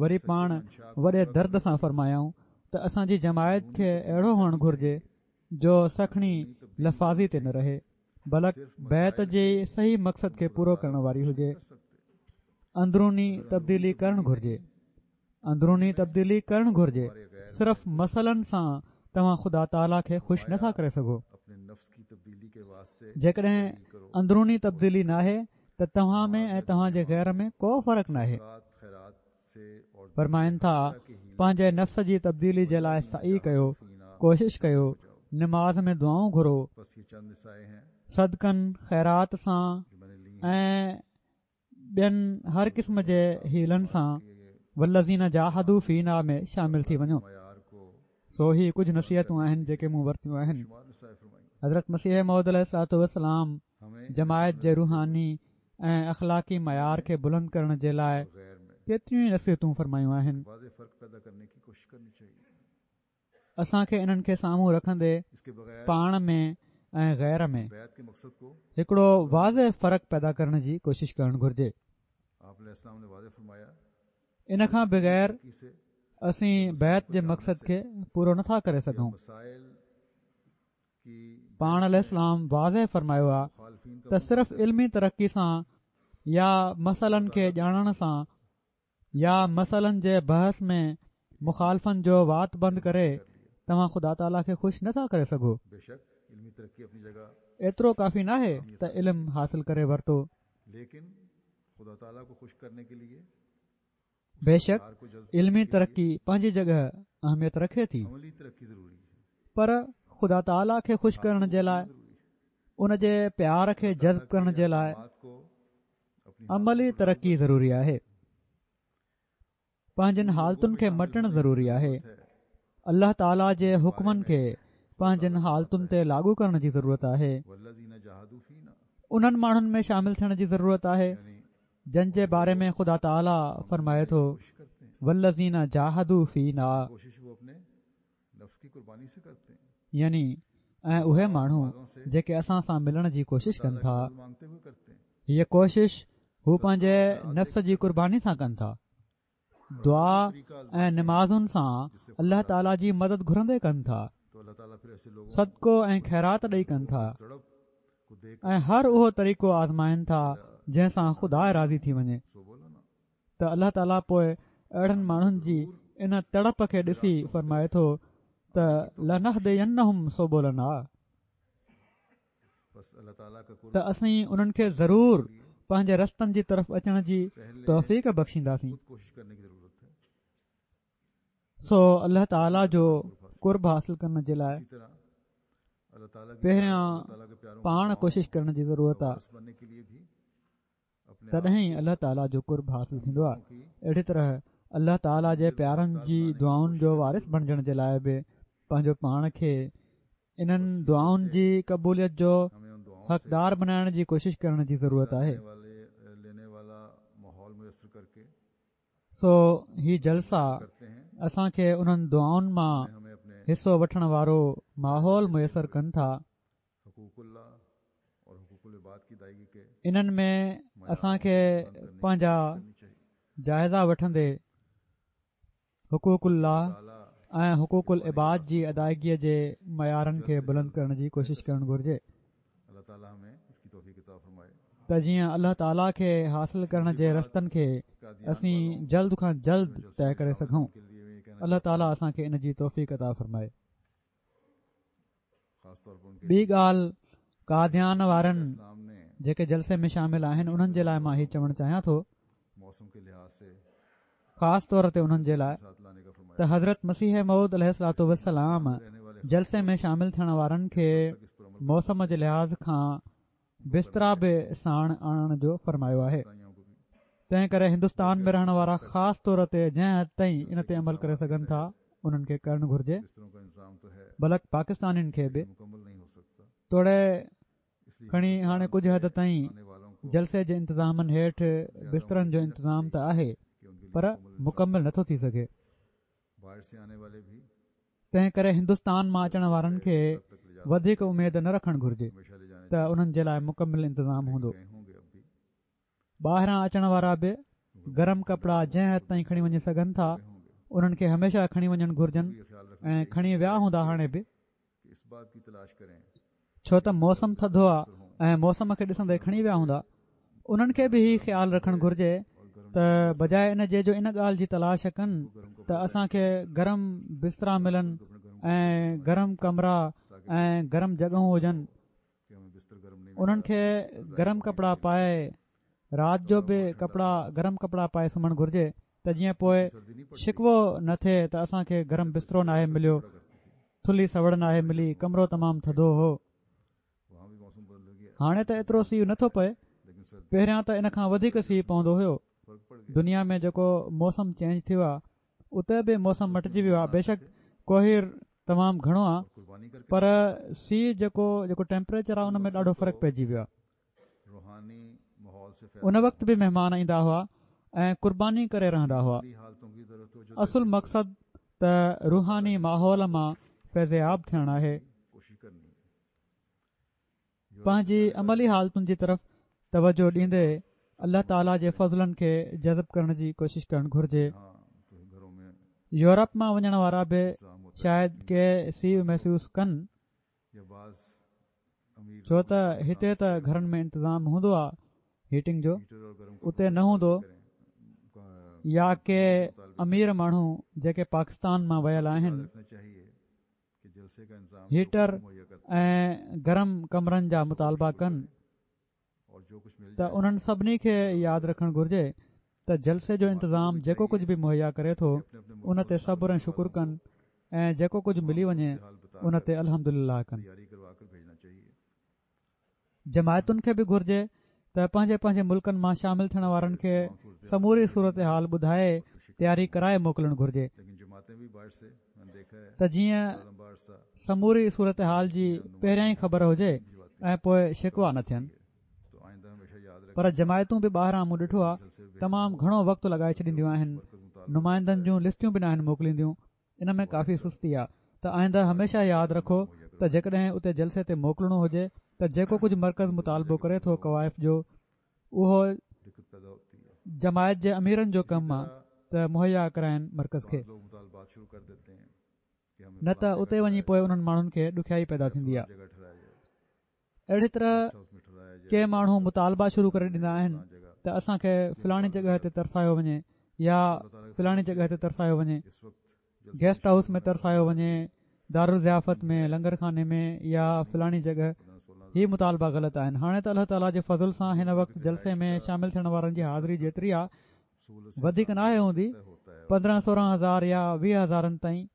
وري پاڻ وڏي درد سان فرمايائون ته اسان جي جماعت کي اهڙو هئڻ گهرجي جو سکڻي لفاظي تي نه رهي، بلڪ بيعت جي صحيح مقصد کي پورو ڪرڻ واري هجي. اندروني تبديلي ڪرڻ گهرجي، اندروني تبديلي ڪرڻ گهرجي. صرف مسئلن سان توهان خدا تعاليٰ کي خوش نٿا ڪري سگهو. جيڪڏهن اندروني تبديلي ناهي ته توهان ۾ ۽ توهان جي غير ۾ ڪو فرق ناهي. فرمائن ٿا پنهنجي نفس جي تبديلي جي لاءِ سعي ڪيو، ڪوشش ڪيو، نماز ۾ دعائون گهرو، صدقن خيرات سان ۽ ٻين هر قسم جي حيلن سان والذين جاهدوا فينا ۾ شامل ٿي وڃو. سو هي ڪجهه نصيحتون آهن جيڪي مون ورتيون آهن. حضرت مسيح موعود عليه الصلوة والسلام جماعت جي روحاني ۽ اخلاقي معيار کي بلند ڪرڻ جي لاءِ ڪيتريون ئي نصيحتون فرمايون آهن. اسان کي انهن کي سامهون رکندي پاڻ ۾ ۽ غير ۾ هڪڙو واضح فرق پيدا ڪرڻ جي ڪوشش ڪرڻ گهرجي. ان کان بغير اسين بيعت جي مقصد کي پورو نٿا ڪري سگهون. پاڻ عليه السلام واضح فرمايو آهي ته صرف علمي ترقي سان يا مسئلن کي ڄاڻڻ سان يا مسئلن جي بحث ۾ مخالفن جو وات بند ڪري توهان خدا تعاليٰ کي خوش نٿا ڪري سگهو. ايترو ڪافي ناهي ته علم حاصل ڪري ورتو. بيشڪ علمي ترقي پنهنجي جڳهه اهميت رکي ٿي، پر خدا تعاليٰ کي خوش ڪرڻ جي لاءِ، ان جي پيار کي جذب ڪرڻ جي لاءِ عملي ترقي ضروري آهي. پنهنجن حالتن کي مٽڻ ضروري آهي. الله تعاليٰ جي حڪمن کي پنهنجن حالتن تي لاڳو ڪرڻ جي ضرورت آهي. انهن ماڻهن ۾ شامل ٿيڻ جي ضرورت آهي جن جي باري ۾ خدا تعاليٰ فرمائي ٿو، والذين جاهدوا فينا، يعني ۽ اهي ماڻهو جيڪي اسان سان ملڻ جي ڪوشش ڪن ٿا، هيء ڪوشش هو پنهنجي نفس جي قرباني سان ڪن ٿا، دعا ۽ نمازن سان الله تعاليٰ جي مدد گهرندي ڪن ٿا، صدقو ۽ خيرات ڏئي ڪن ٿا، ۽ هر اهو طريقو آزمائن ٿا جنهن سان خدا راضي ٿي وڃي. ته الله تعاليٰ پوءِ اهڙن ماڻهن جي ان تڙپ کي ڏسي فرمائي ٿو ته لنهدينهم سبلنا، ته اسين انهن کي ضرور پنهنجي رستن جي طرف اچڻ جي توفيق بخشينداسين. سو الله تعاليٰ جو قرب حاصل ڪرڻ جي لاءِ پهريان پاڻ ڪوشش ڪرڻ جي ضرورت آهي، تڏهن ئي الله تعاليٰ جو قرب حاصل ٿيندو آهي. اهڙي طرح الله تعاليٰ جي پيارن جي دعائن جو وارث بڻجڻ جي لاءِ به پنهنجو پاڻ کي انهن دعائن جي قبوليت جو حقدار بنائڻ جي ڪوشش ڪرڻ جي ضرورت آهي. سو هي جلسا اسان کي انهن دعائن مان حصو وٺڻ وارو ماحول ميسر ڪن ٿا. انهن ۾ اسان کي پنهنجا جائزا وٺندي حقوق الله ۽ حقوق العباد جي ادائگيءَ جي معيارن کي بلند ڪرڻ جي ڪوشش ڪرڻ گهرجي ته جيئن الله تعاليٰ کي حاصل ڪرڻ جي رستن کي اسين جلد کان جلد طئي ڪري سگهون. الله تعاليٰ اسان کي ان جي توفيق عطا فرمائي. ٻي ڳالهه قاديان وارن جيڪي جلسي ۾ شامل آهن انهن جي لاءِ مان هي چوڻ چاهيان ٿو، خاص طور تي انهن جي لاءِ ته حضرت مسيح موعود عليه الصلوة والسلام جلسي ۾ شامل ٿيڻ وارن کي موسم جي لحاظ کان بسترا به ساڻ آڻڻ جو فرمايو آهي. تنهن ڪري هندستان ۾ رهڻ وارا خاص طور تي جنهن حد تائين ان تي عمل ڪري سگهن ٿا انهن کي ڪرڻ گهرجي، بلڪ پاڪستانين کي به، توڙي کڻي هاڻي ڪجهه حد تائين جلسي جي انتظامن هيٺ بسترن جو انتظام ته آهي پر مڪمل نٿو ٿي سگهي. تنهن ڪري هندستان مان اچڻ وارن کي وڌيڪ اميد نه رکڻ گهرجي ته انهن جي لاءِ مڪمل انتظام هوندو. ٻاهران اچڻ وارا به گرم ڪپڙا جنهن حد تائين کڻي وڃي سگهن ٿا انهن کي هميشه کڻي وڃڻ گهرجن ۽ کڻي ويا هوندا هاڻي به، ڇو ته موسم ٿڌو آهي ۽ موسم کي ڏسندي کڻي ويا هوندا. انهن کي به هي خيال رکڻ گهرجي ته بجاءِ ان جي جو ان ڳالهه جي تلاش ڪن ته اسان کي گرم بسترا ملن ۽ گرم ڪمرا ۽ گرم جڳهون هجن، انهن کي گرم ڪپڙا پائي رات جو به ڪپڙا گرم ڪپڙا پائي سمهڻ گهرجي ته جيئن پوءِ شڪوو نه ٿئي ته اسان کي گرم بسترو ناهي مليو، ٿلهي سوڙ ناهي ملي، ڪمرو تمام ٿڌو هو. هاڻي ته ايترو سيءُ نٿو پئي، پهريان ته ان کان وڌيڪ سيءُ پوندو هيو. دنيا ۾ جيڪو موسم چينج ٿيو آهي اتي به موسم مٽجي ويو آهي. بيشڪ ڪوهير تمام گهڻو آهي پر سيءُ جيڪو جيڪو ٽيمپريچر آهي ان ۾ ڏاڍو فرق پئجي ويو آهي. ان وقت به مهمان ايندا هئا ۽ قرباني ڪري رهندا هئا. اصل مقصد ته روحاني ماحول مان فيضياب ٿيڻ آهي. پنهنجي عملي حالتن جي طرف توجه ڏيندي الله تعاليٰ جي فضلن کي جذب ڪرڻ جي ڪوشش ڪرڻ گهرجي. يورپ مان وڃڻ وارا به شايد ڪي سيءُ محسوس ڪن، ڇو ته هتي ته گهرن ۾ انتظام هوندو آهي هيٽنگ جو، اتي نه هوندو. يا ڪي امير ماڻهو جيڪي پاڪستان مان ويل آهن هيٽر ۽ گرم ڪمرن جا مطالبا ڪن ته انهن سڀني کي ياد رکڻ گهرجي ته جلسي جو انتظام جيڪو ڪجهه به مهيا ڪري ٿو ان تي صبر ۽ شڪر ڪن ۽ جيڪو ڪجهه ملي وڃي ان تي الحمدلله ڪن. جماعتن کي به گهرجي ته پنهنجي پنهنجي ملڪن مان شامل ٿيڻ وارن کي سموري صورت حال ٻڌائي تياري ڪرائي موڪلڻ گهرجي ته جيئن سموري صورتحال جي پهريان ئي خبر هجي ۽ پوءِ شڪوا نه ٿين. پر جماعتون به ٻاهران مون ڏٺو آهي تمام گهڻو وقت لڳائي ڇڏينديون آهن، نمائندن جون لسٽيون به ناهن موڪلينديون. ان ۾ ڪافي سستي آهي. ته آئنده هميشه ياد رکو ته جيڪڏهن اتي جلسي تي موڪلڻو هجي ته جيڪو ڪجهه مرڪز مطالبو ڪري ٿو ڪوائف جو، اهو جماعت جي اميرن جو ڪم آهي ته مهيا ڪرائين مرڪز کي، نه ته اتي وڃي پوءِ انهن ماڻهن کي ڏکيائي پيدا ٿيندي آهي. اهڙي طرح ڪي ماڻهو مطالبا شروع ڪري ڏيندا آهن ته اسان کي فلاڻي جڳهه تي ترسايو وڃي يا فلاڻي جڳهه تي ترسايو وڃي، گيسٽ هائوس ۾ ترسايو وڃي، دارالضيافت ۾ لنگر خاني ۾ يا فلاڻي جڳهه. هي مطالبا غلط آهن. هاڻي ته الله تعاليٰ جي فضل سان هن وقت جلسي ۾ شامل ٿيڻ وارن جي حاضري جيتري آهي وڌيڪ ناهي هوندي، پندرهن سورهن هزار يا ويهه هزارن تائين.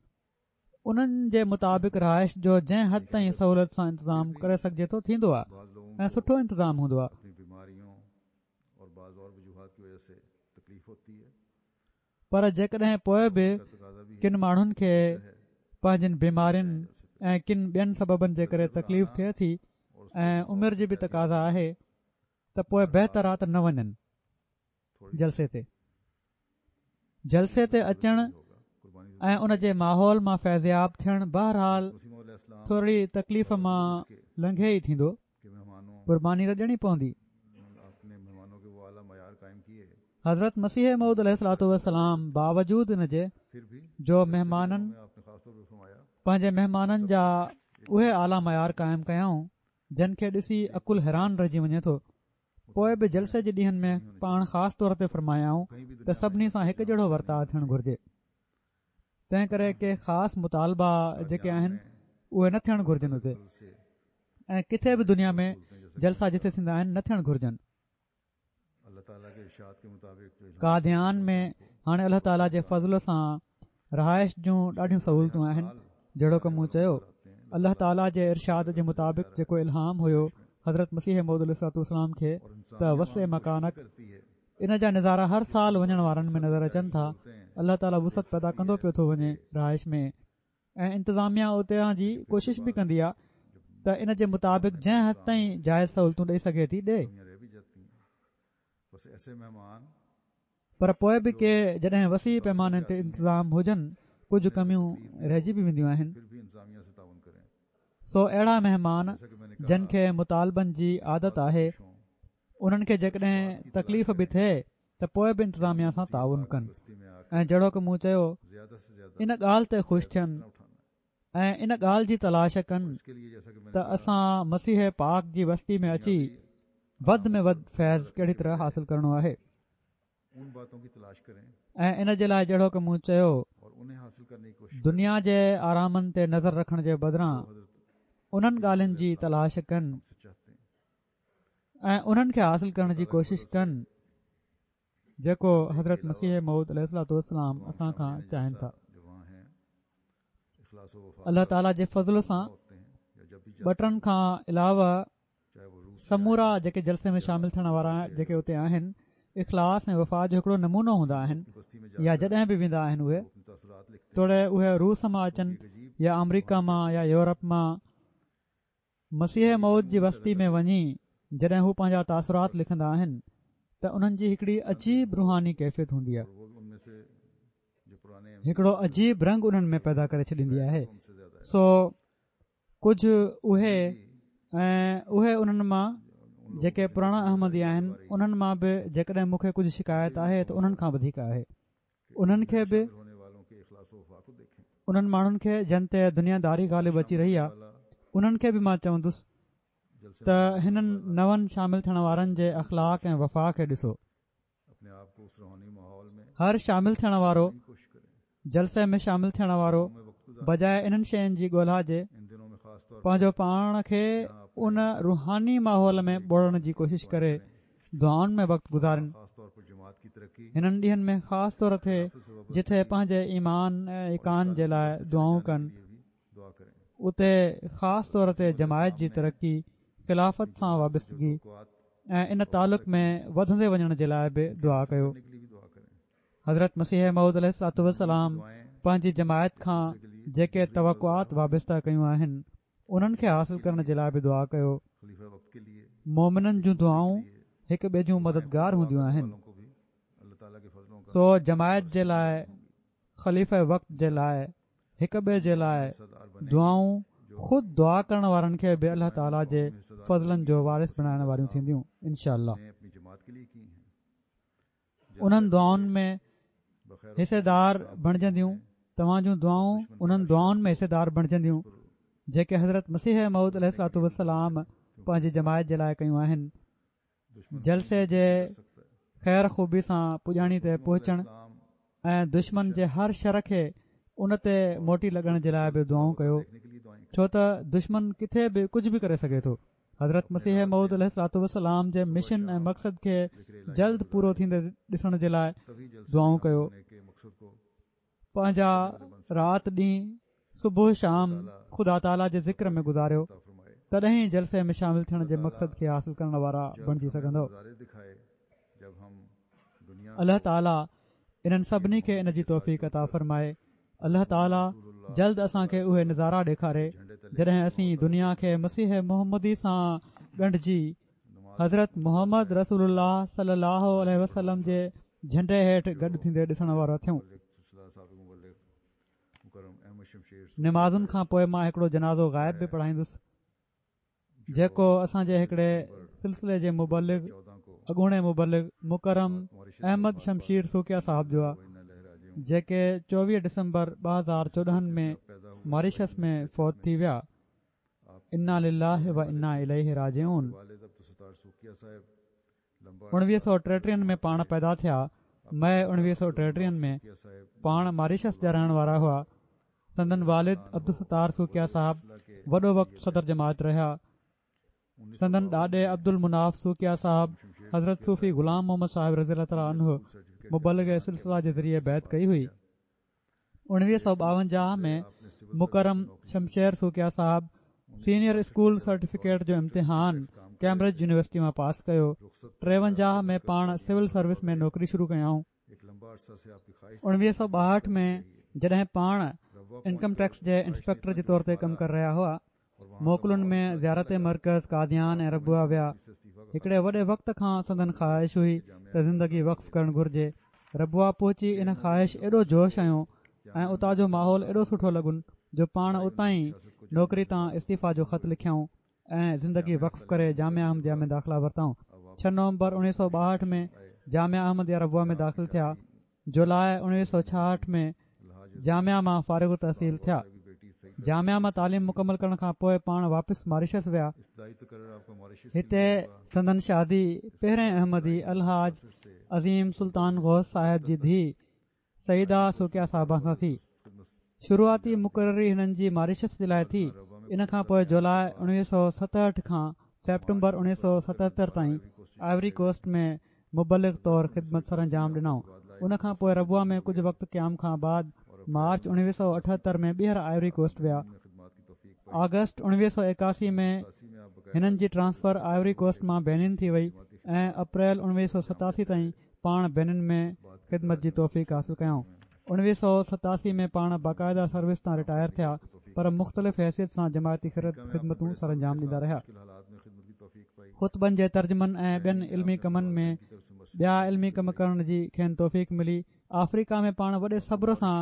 انهن جي مطابق رهائش جو جنهن حد تائين سهولت سان انتظام ڪري سگهجي ٿو ٿيندو آهي ۽ سٺو انتظام هوندو آهي. پر جيڪڏهن پوءِ به ڪن ماڻهن کي پنهنجن بيمارين ۽ ڪن ٻين سببن جي ڪري تڪليف ٿئي ٿي ۽ عمر جي به تقاضا آهي ته پوءِ بهتر آهي ته نه وڃن جلسي تي. جلسي تي اچڻ ۽ ان جي ماحول مان فيضياب ٿيڻ بهرحال ٿوري تڪليف مان لنگهي ئي ٿيندو، قرباني ته ڏيڻي پوندي. حضرت مسيح موعود عليه الصلوة والسلام باوجود ان جي جو مهمانن پنهنجي مهمانن جا اهي اعليٰ معيار قائم ڪيائون جن کي ڏسي عقل حيران رهجي وڃي ٿو، پوءِ به جلسي جي ڏينهن ۾ پاڻ خاص طور تي فرمايائون ته سڀني سان هڪ جهڙو ورتاءُ ٿيڻ گهرجي. تنهن ڪري ڪي خاص مطالبا جيڪي آهن اهي نه ٿيڻ گهرجن اتي، ۽ ڪٿي به دنيا ۾ جلسا جٿي ٿيندا آهن نه ٿيڻ گهرجن. قاديان ۾ هاڻي الله تعاليٰ جي فضل سان رهائش جون ڏاڍيون سهولتون آهن. جهڙوڪ مون چيو، الله تعاليٰ جي ارشاد جي مطابق جيڪو الهام هيو حضرت مسيح موعود عليه الصلوة والسلام کي ته وسع مڪانڪ، ان جا نظارا هر سال وڃڻ وارن ۾ نظر اچن ٿا. الله تعاليٰ وسعت پيدا ڪندو پيو ٿو وڃي رهائش ۾، ۽ انتظاميا اتان جي ڪوشش به ڪندي آهي ته ان جي مطابق جنهن حد تائين جائز سهولتون ڏئي سگهي ٿي ڏئي. پر پوءِ به ڪي جڏهن وسيع پيماني تي انتظام هجن ڪجهه ڪميون رهجي به وينديون آهن. سو اهڙا مهمان جن کي مطالبن جي عادت آهي انهن کي جيڪڏهن تڪليف به ٿئي ته پوءِ به انتظاميا سان تعاون ڪن، ۽ جهڙوڪ مون چيو ان ڳالهه تي خوش ٿين ۽ ان ڳالهه جي تلاش ڪن ته اسان مسيح پاڪ جي وستي ۾ اچي وڌ ۾ وڌ فيض ڪهڙي طرح حاصل ڪرڻو آهي. ۽ ان جي لاءِ جهڙوڪ مون چيو دنيا جي آرامن تي نظر رکڻ جي بدران انهن ڳالهين جي تلاش ڪن ۽ انهن کي حاصل ڪرڻ جي ڪوشش ڪن جيڪو حضرت مسيح موعود عليه الصلوة والسلام اسان کان چاهين ٿا. الله تعاليٰ جي فضل سان ٻه ٽن کان علاوه سمورا جيڪي جلسي ۾ شامل ٿيڻ وارا جيڪي اتي آهن اخلاص ۽ وفا جو هڪڙو نمونو هوندا آهن، يا جڏهن به ويندا آهن اهي توڙي اهي روس مان اچن يا آمريڪا مان يا يورپ مان، مسيح موعود جي وستي ۾ وڃي جڏهن هو پنهنجا تاثرات لکندا آهن ته انهن جي هڪڙي عجيب روحاني ڪيفيت هوندي آهي، هڪڙو عجيب رنگ انهن ۾ پيدا ڪري ڇڏيندي آهي. سو ڪجهه اهي ۽ اهي انهن مان جيڪي پراڻا احمدي آهن انهن مان به جيڪڏهن مون کي ڪجهه شڪايت آهي ته انهن کان وڌيڪ آهي. انهن کي به انهن ماڻهن کي جن تي دنياداري غالب اچي رهي آهي انهن کي به مان چوندس ته هنن نون شامل ٿيڻ وارن جي اخلاق ۽ وفا کي ڏسو. هر شامل ٿيڻ وارو جلسي ۾ شامل ٿيڻ وارو بجاءِ انهن شين جي ڳولها جي پنهنجو پاڻ کي ان روحاني ماحول ۾ ٻوڙڻ جي ڪوشش ڪري، دعائن ۾ وقت گذارن. هنن ڏينهن ۾ خاص طور تي جٿي پنهنجي ايمان ۽ ايقان جي لاءِ دعائون ڪن، اتي خاص طور تي جماعت جي ترقي، خلافت سان وابستگي ۽ ان تعلق ۾ وڌندي وڃڻ جي لاءِ به دعا ڪيو. حضرت مسيح موعود عليه الصلوة والسلام پنهنجي جماعت کان جيڪي توقعات وابسته ڪيون آهن انهن کي حاصل ڪرڻ جي لاءِ به دعا ڪيو. مومنن جون دعائون هڪ ٻئي جون مددگار هونديون آهن. سو جماعت جي لاءِ، خليفه وقت جي لاءِ، هڪ ٻئي جي لاءِ دعائون خود دعا ڪرڻ وارن کي به الله تعاليٰ جي فضلن جو وارث بڻائڻ واريون ٿينديون انشاءالله. انهن دعائن ۾ حصيدار بڻجنديون. توهان جون دعائون انهن دعائن ۾ حصيدار بڻجنديون جيڪي حضرت مسيح موعود عليه الصلوة والسلام پنهنجي جماعت جي لاءِ ڪيون آهن. جلسي جي خير خوبي سان پڄاڻي تي پهچڻ ۽ دشمن جي هر شر کي ان تي موٽي لڳڻ جي لاءِ به دعائون ڪيو، ڇو ته دشمن ڪٿي به ڪجهه به ڪري سگهي ٿو. حضرت مسيح موعود عليه الصلوة والسلام جي مشن ۽ مقصد کي جلد پورو ٿيندي ڏسڻ جي لاءِ دعائون ڪيو. پنهنجا رات ڏينهن، صبح شام خدا تعاليٰ جي ذڪر ۾ گذاريو، تڏهن ئي جلسي ۾ شامل ٿيڻ جي مقصد کي حاصل ڪرڻ وارا بڻجي سگهندو. الله تعاليٰ انهن سڀني کي ان جي توفيق عطا فرمائي. الله تعاليٰ جلد اسان کي اهي نظارا ڏيکاري جڏهن اسين دنيا کي مسيح محمدي سان ڳنڍجي حضرت محمد رسول الله صلي الله عليه وسلم جي جهنڊي هيٺ گڏ ٿيندي ڏسڻ وارا ٿيون. نمازن کان پوءِ مان هڪڙو جنازو غائب به پڙهائيندس جيڪو اسان جي هڪڙي سلسلي جي مبلغ، اڳوڻي مبلغ مڪرم احمد شمشير سوڪيا صاحب جو آهي، جيڪي چوويهه ڊسمبر ٻه هزار چوڏهن ۾ ماريشس ۾ فوت ٿي ويا. انا لله و انا اليه راجعون. اڻويهه سؤ ٽيٽيهن ۾ پاڻ پيدا ٿيا. مئي اڻويهه سؤ ٽيٽيهن ۾ پاڻ ماريشس جا رهڻ وارا هئا. سندن والد عبدالستار سوڪيا صاحب وڏو وقت صدر جماعت رهيا. سندن ڏاڏي عبدالمناف سوڪيا صاحب حضرت صوفي غلام محمد صاحب رضي الله تعالٰي عنه مبلغ سلسله جي ذريعي بيعت ڪئي هئي. اڻويهه سؤ ٻاونجاهه ۾ مڪرم شمشير سوڪيا صاحب سينيئر اسڪول سرٽيفڪيٽ جو امتحان ڪيمبرج يونيورسٽي مان پاس ڪيو. ٽيونجاهه ۾ پاڻ سول سروس ۾ نوڪري شروع ڪيائون. اڻويهه سؤ ٻاهٺ ۾ جڏهن پاڻ انڪم ٽيڪس جي انسپيڪٽر جي طور تي ڪم ڪري رهيا هئا، موڪلن ۾ زيارت مرڪز قاديان ۽ ربوه ويا. هڪڙي وڏي وقت کان سندن خواهش هئي ته زندگي وقف ڪرڻ گهرجي. ربوه پهچي ان خواهش ايڏو جوش هنيو ۽ اتان جو ماحول ايڏو سٺو لڳن جو پاڻ اتان ئي نوڪري تان استعيفيٰ جو خط لکيائون ۽ زندگي وقف ڪري جامعه احمديه ۾ داخلا ورتائون. ڇهه نومبر اڻويهه سؤ ٻاهٺ ۾ جامعه احمديه ربوه ۾ داخل ٿيا. جولاءِ اڻويهه سؤ ڇاهٺ ۾ جامعه مان فارغ التحصيل ٿيا. جامعه مان تعليم مڪمل ڪرڻ کان پوءِ پاڻ واپس ماريشس ويا. هتي سندن شادي پهرين احمدي الحاج عظيم سلطان غوث صاحب جي ڌيءُ سعيده سوڪيا صاحبه سان ٿي. شروعاتي مقرري هنن جي ماريشس جي لاءِ ٿي. ان کان پوءِ جولاءِ اڻويهه سؤ ستهٺ کان سيپٽمبر اڻويهه سؤ ستهتر تائين آئيوري ڪوسٽ ۾ مبلغ طور خدمت سر انجام ڏنائون. ان کان پوءِ ربوه ۾ ڪجهه وقت قيام کان بعد مارچ اڻويهه سؤ اٺهتر ۾ ٻيهر آئيوري ڪوسٽ ويا. آگسٽ اڻويهه سؤ ايڪاسي ۾ هنن جي ٽرانسفر آئيوري ڪوسٽ مان بينن ٿي وئي ۽ اپريل اڻويهه سؤ ستاسي تائين پاڻ بينن ۾ خدمت جي توفيق حاصل ڪيائون. اڻويهه سؤ ستاسي ۾ پاڻ باقاعده سروس تان رٽائر ٿيا، پر مختلف حيثيت سان جماعتي خدمتون سر انجام ڏيندا رهيا. خطبن جي ترجمن ۽ ٻين علمي ڪمن ۾ ٻيا علمي ڪم ڪرڻ جي کين توفيق ملي. آفريڪا ۾ پاڻ وڏي صبر سان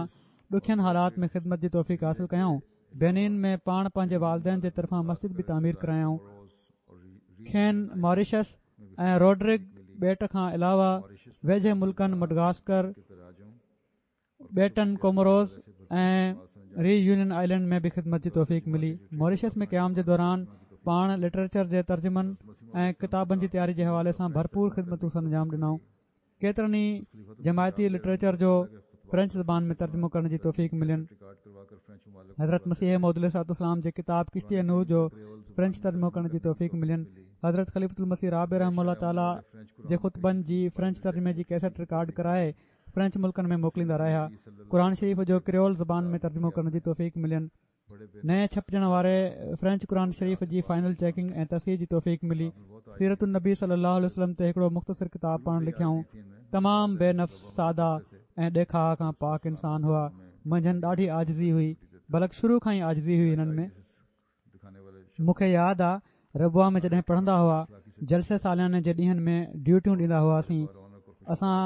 ڏکين حالات ۾ خدمت جي توفيق حاصل ڪيائون. بينين ۾ پاڻ پنهنجي والدين جي طرفان مسجد به تعمير ڪرايائون. کين ماريشس ۽ روڊرگ ٻيٽ کان علاوه ويجهي ملڪن مڊغاسڪر، ٻيٽن ڪوموروز ۽ ري يونين آئلينڊ ۾ به خدمت جي توفيق ملي. ماريشس ۾ قيام جي دوران پاڻ لٽريچر جي ترجمن ۽ ڪتابن جي تياري جي حوالي سان ڀرپور خدمتون سر انجام ڏنائون. ڪيترن ئي جماعتي لٽريچر جو فرينچ زبان ۾ ترجمو ڪرڻ جي توفيق ملين. حضرت مسيح موعود عليه الصلوة والسلام جي ڪتاب ڪشتي نوح جو فرينچ ترجمو ڪرڻ جي توفيق ملين. حضرت خليفة المسيح رابع رحمه الله تعاليٰ جي خطبن جي فرينچ ترجمي جي ڪيسٽ رڪارڊ ڪرائي فرينچ ملڪن ۾ موڪليندا رهيا. قرآن شريف جو ڪريول زبان ۾ ترجمو ڪرڻ جي توفيق ملين. نئين ڇپجڻ واري فرينچ قرآن شريف جي فائنل چيڪنگ ۽ تصحيح جي توفيق ملي. سيرت النبي صلي الله عليه وسلم تي هڪڙو مختصر ڪتاب پاڻ لکيائون. تمام بي نفس، ساده ۽ ڏيکاءُ کان پاڪ انسان هئا. منجهن ڏاڍي عاجزي هئي، بلڪ شروع کان ئي عاجزي هئي هنن ۾. مون کي ياد آ ربوه ۾ جڏهن پڙهندا هئا، جلسي سالياني جي ڏينهن ۾ ڊيوٽيون ڏيندا هئاسين، اسان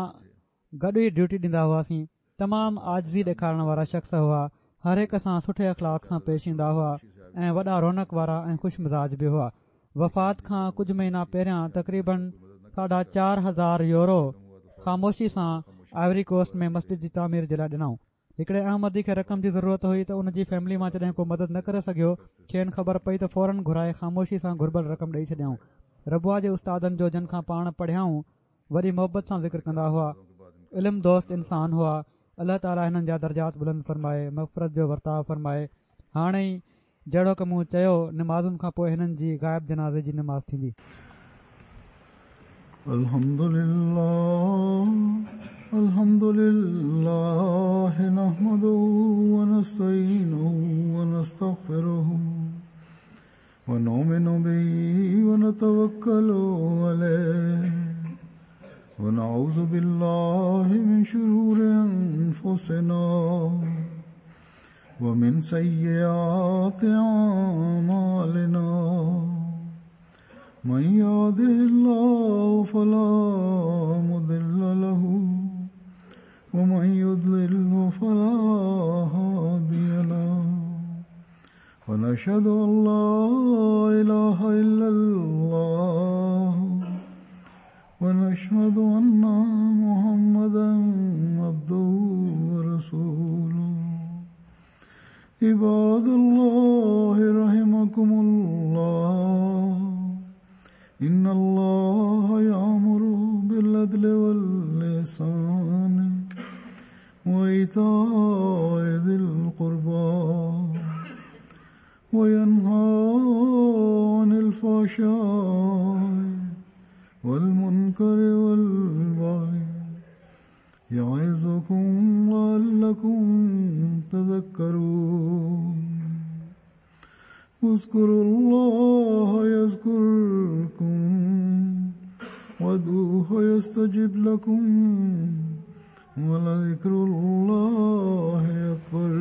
گڏ ئي ڊيوٽي ڏيندا هئاسين. تمام عاجزي ڏيکارڻ وارا شخص هئا، هر هڪ سان سٺي اخلاق سان پيش ايندا هئا ۽ وڏا رونق وارا ۽ خوش مزاج به هئا. وفات کان ڪجهه مهينا پهريان تقريبن ساڍا چار هزار يورو خاموشي سان آئيوري ڪوسٽ ۾ مسجد جي تعمير جي لاءِ ڏنائون. هڪڙي احمدي کي رقم جي ضرورت هئي ته ان جي فيملي مان جڏهن ڪو مدد نه ڪري سگهيو، کين خبر پئي ته فورن گهرائي خاموشي سان گهربل رقم ڏئي ڇڏيائون. ربوه جي استادن جو جن کان پاڻ پڙهيائون وڏي محبت سان ذڪر ڪندا هئا. علم دوست انسان هئا. الله تعاليٰ هنن جا درجات بلند فرمائي، مغفرت جو ورتاءُ فرمائي. هاڻي ئي جهڙوڪ مون چيو، نمازن کان پوءِ هنن جي غائب جنازي جي نماز ٿيندي. الحمد لله الحمد لله نحمده ونستعينه ونستغفره ونؤمن به ونتوكل عليه ونعوذ بالله من شرور أنفسنا ومن سيئات أعمالنا من يهده الله فلا مضل له ومن يضلل فلا هادي له ونشهد أن لا إله إلا الله ونشهد أن محمدا عبده ورسوله. عباد الله رحمكم الله، إن الله يأمر بالعدل والإحسان وإيتاء ذي القربى وينهى عن الفحشاء والمنكر والبغي يعظكم لعلكم تذكرون. اذكروا الله يذكركم وادعوه يستجب لكم ولذكر الله أكبر.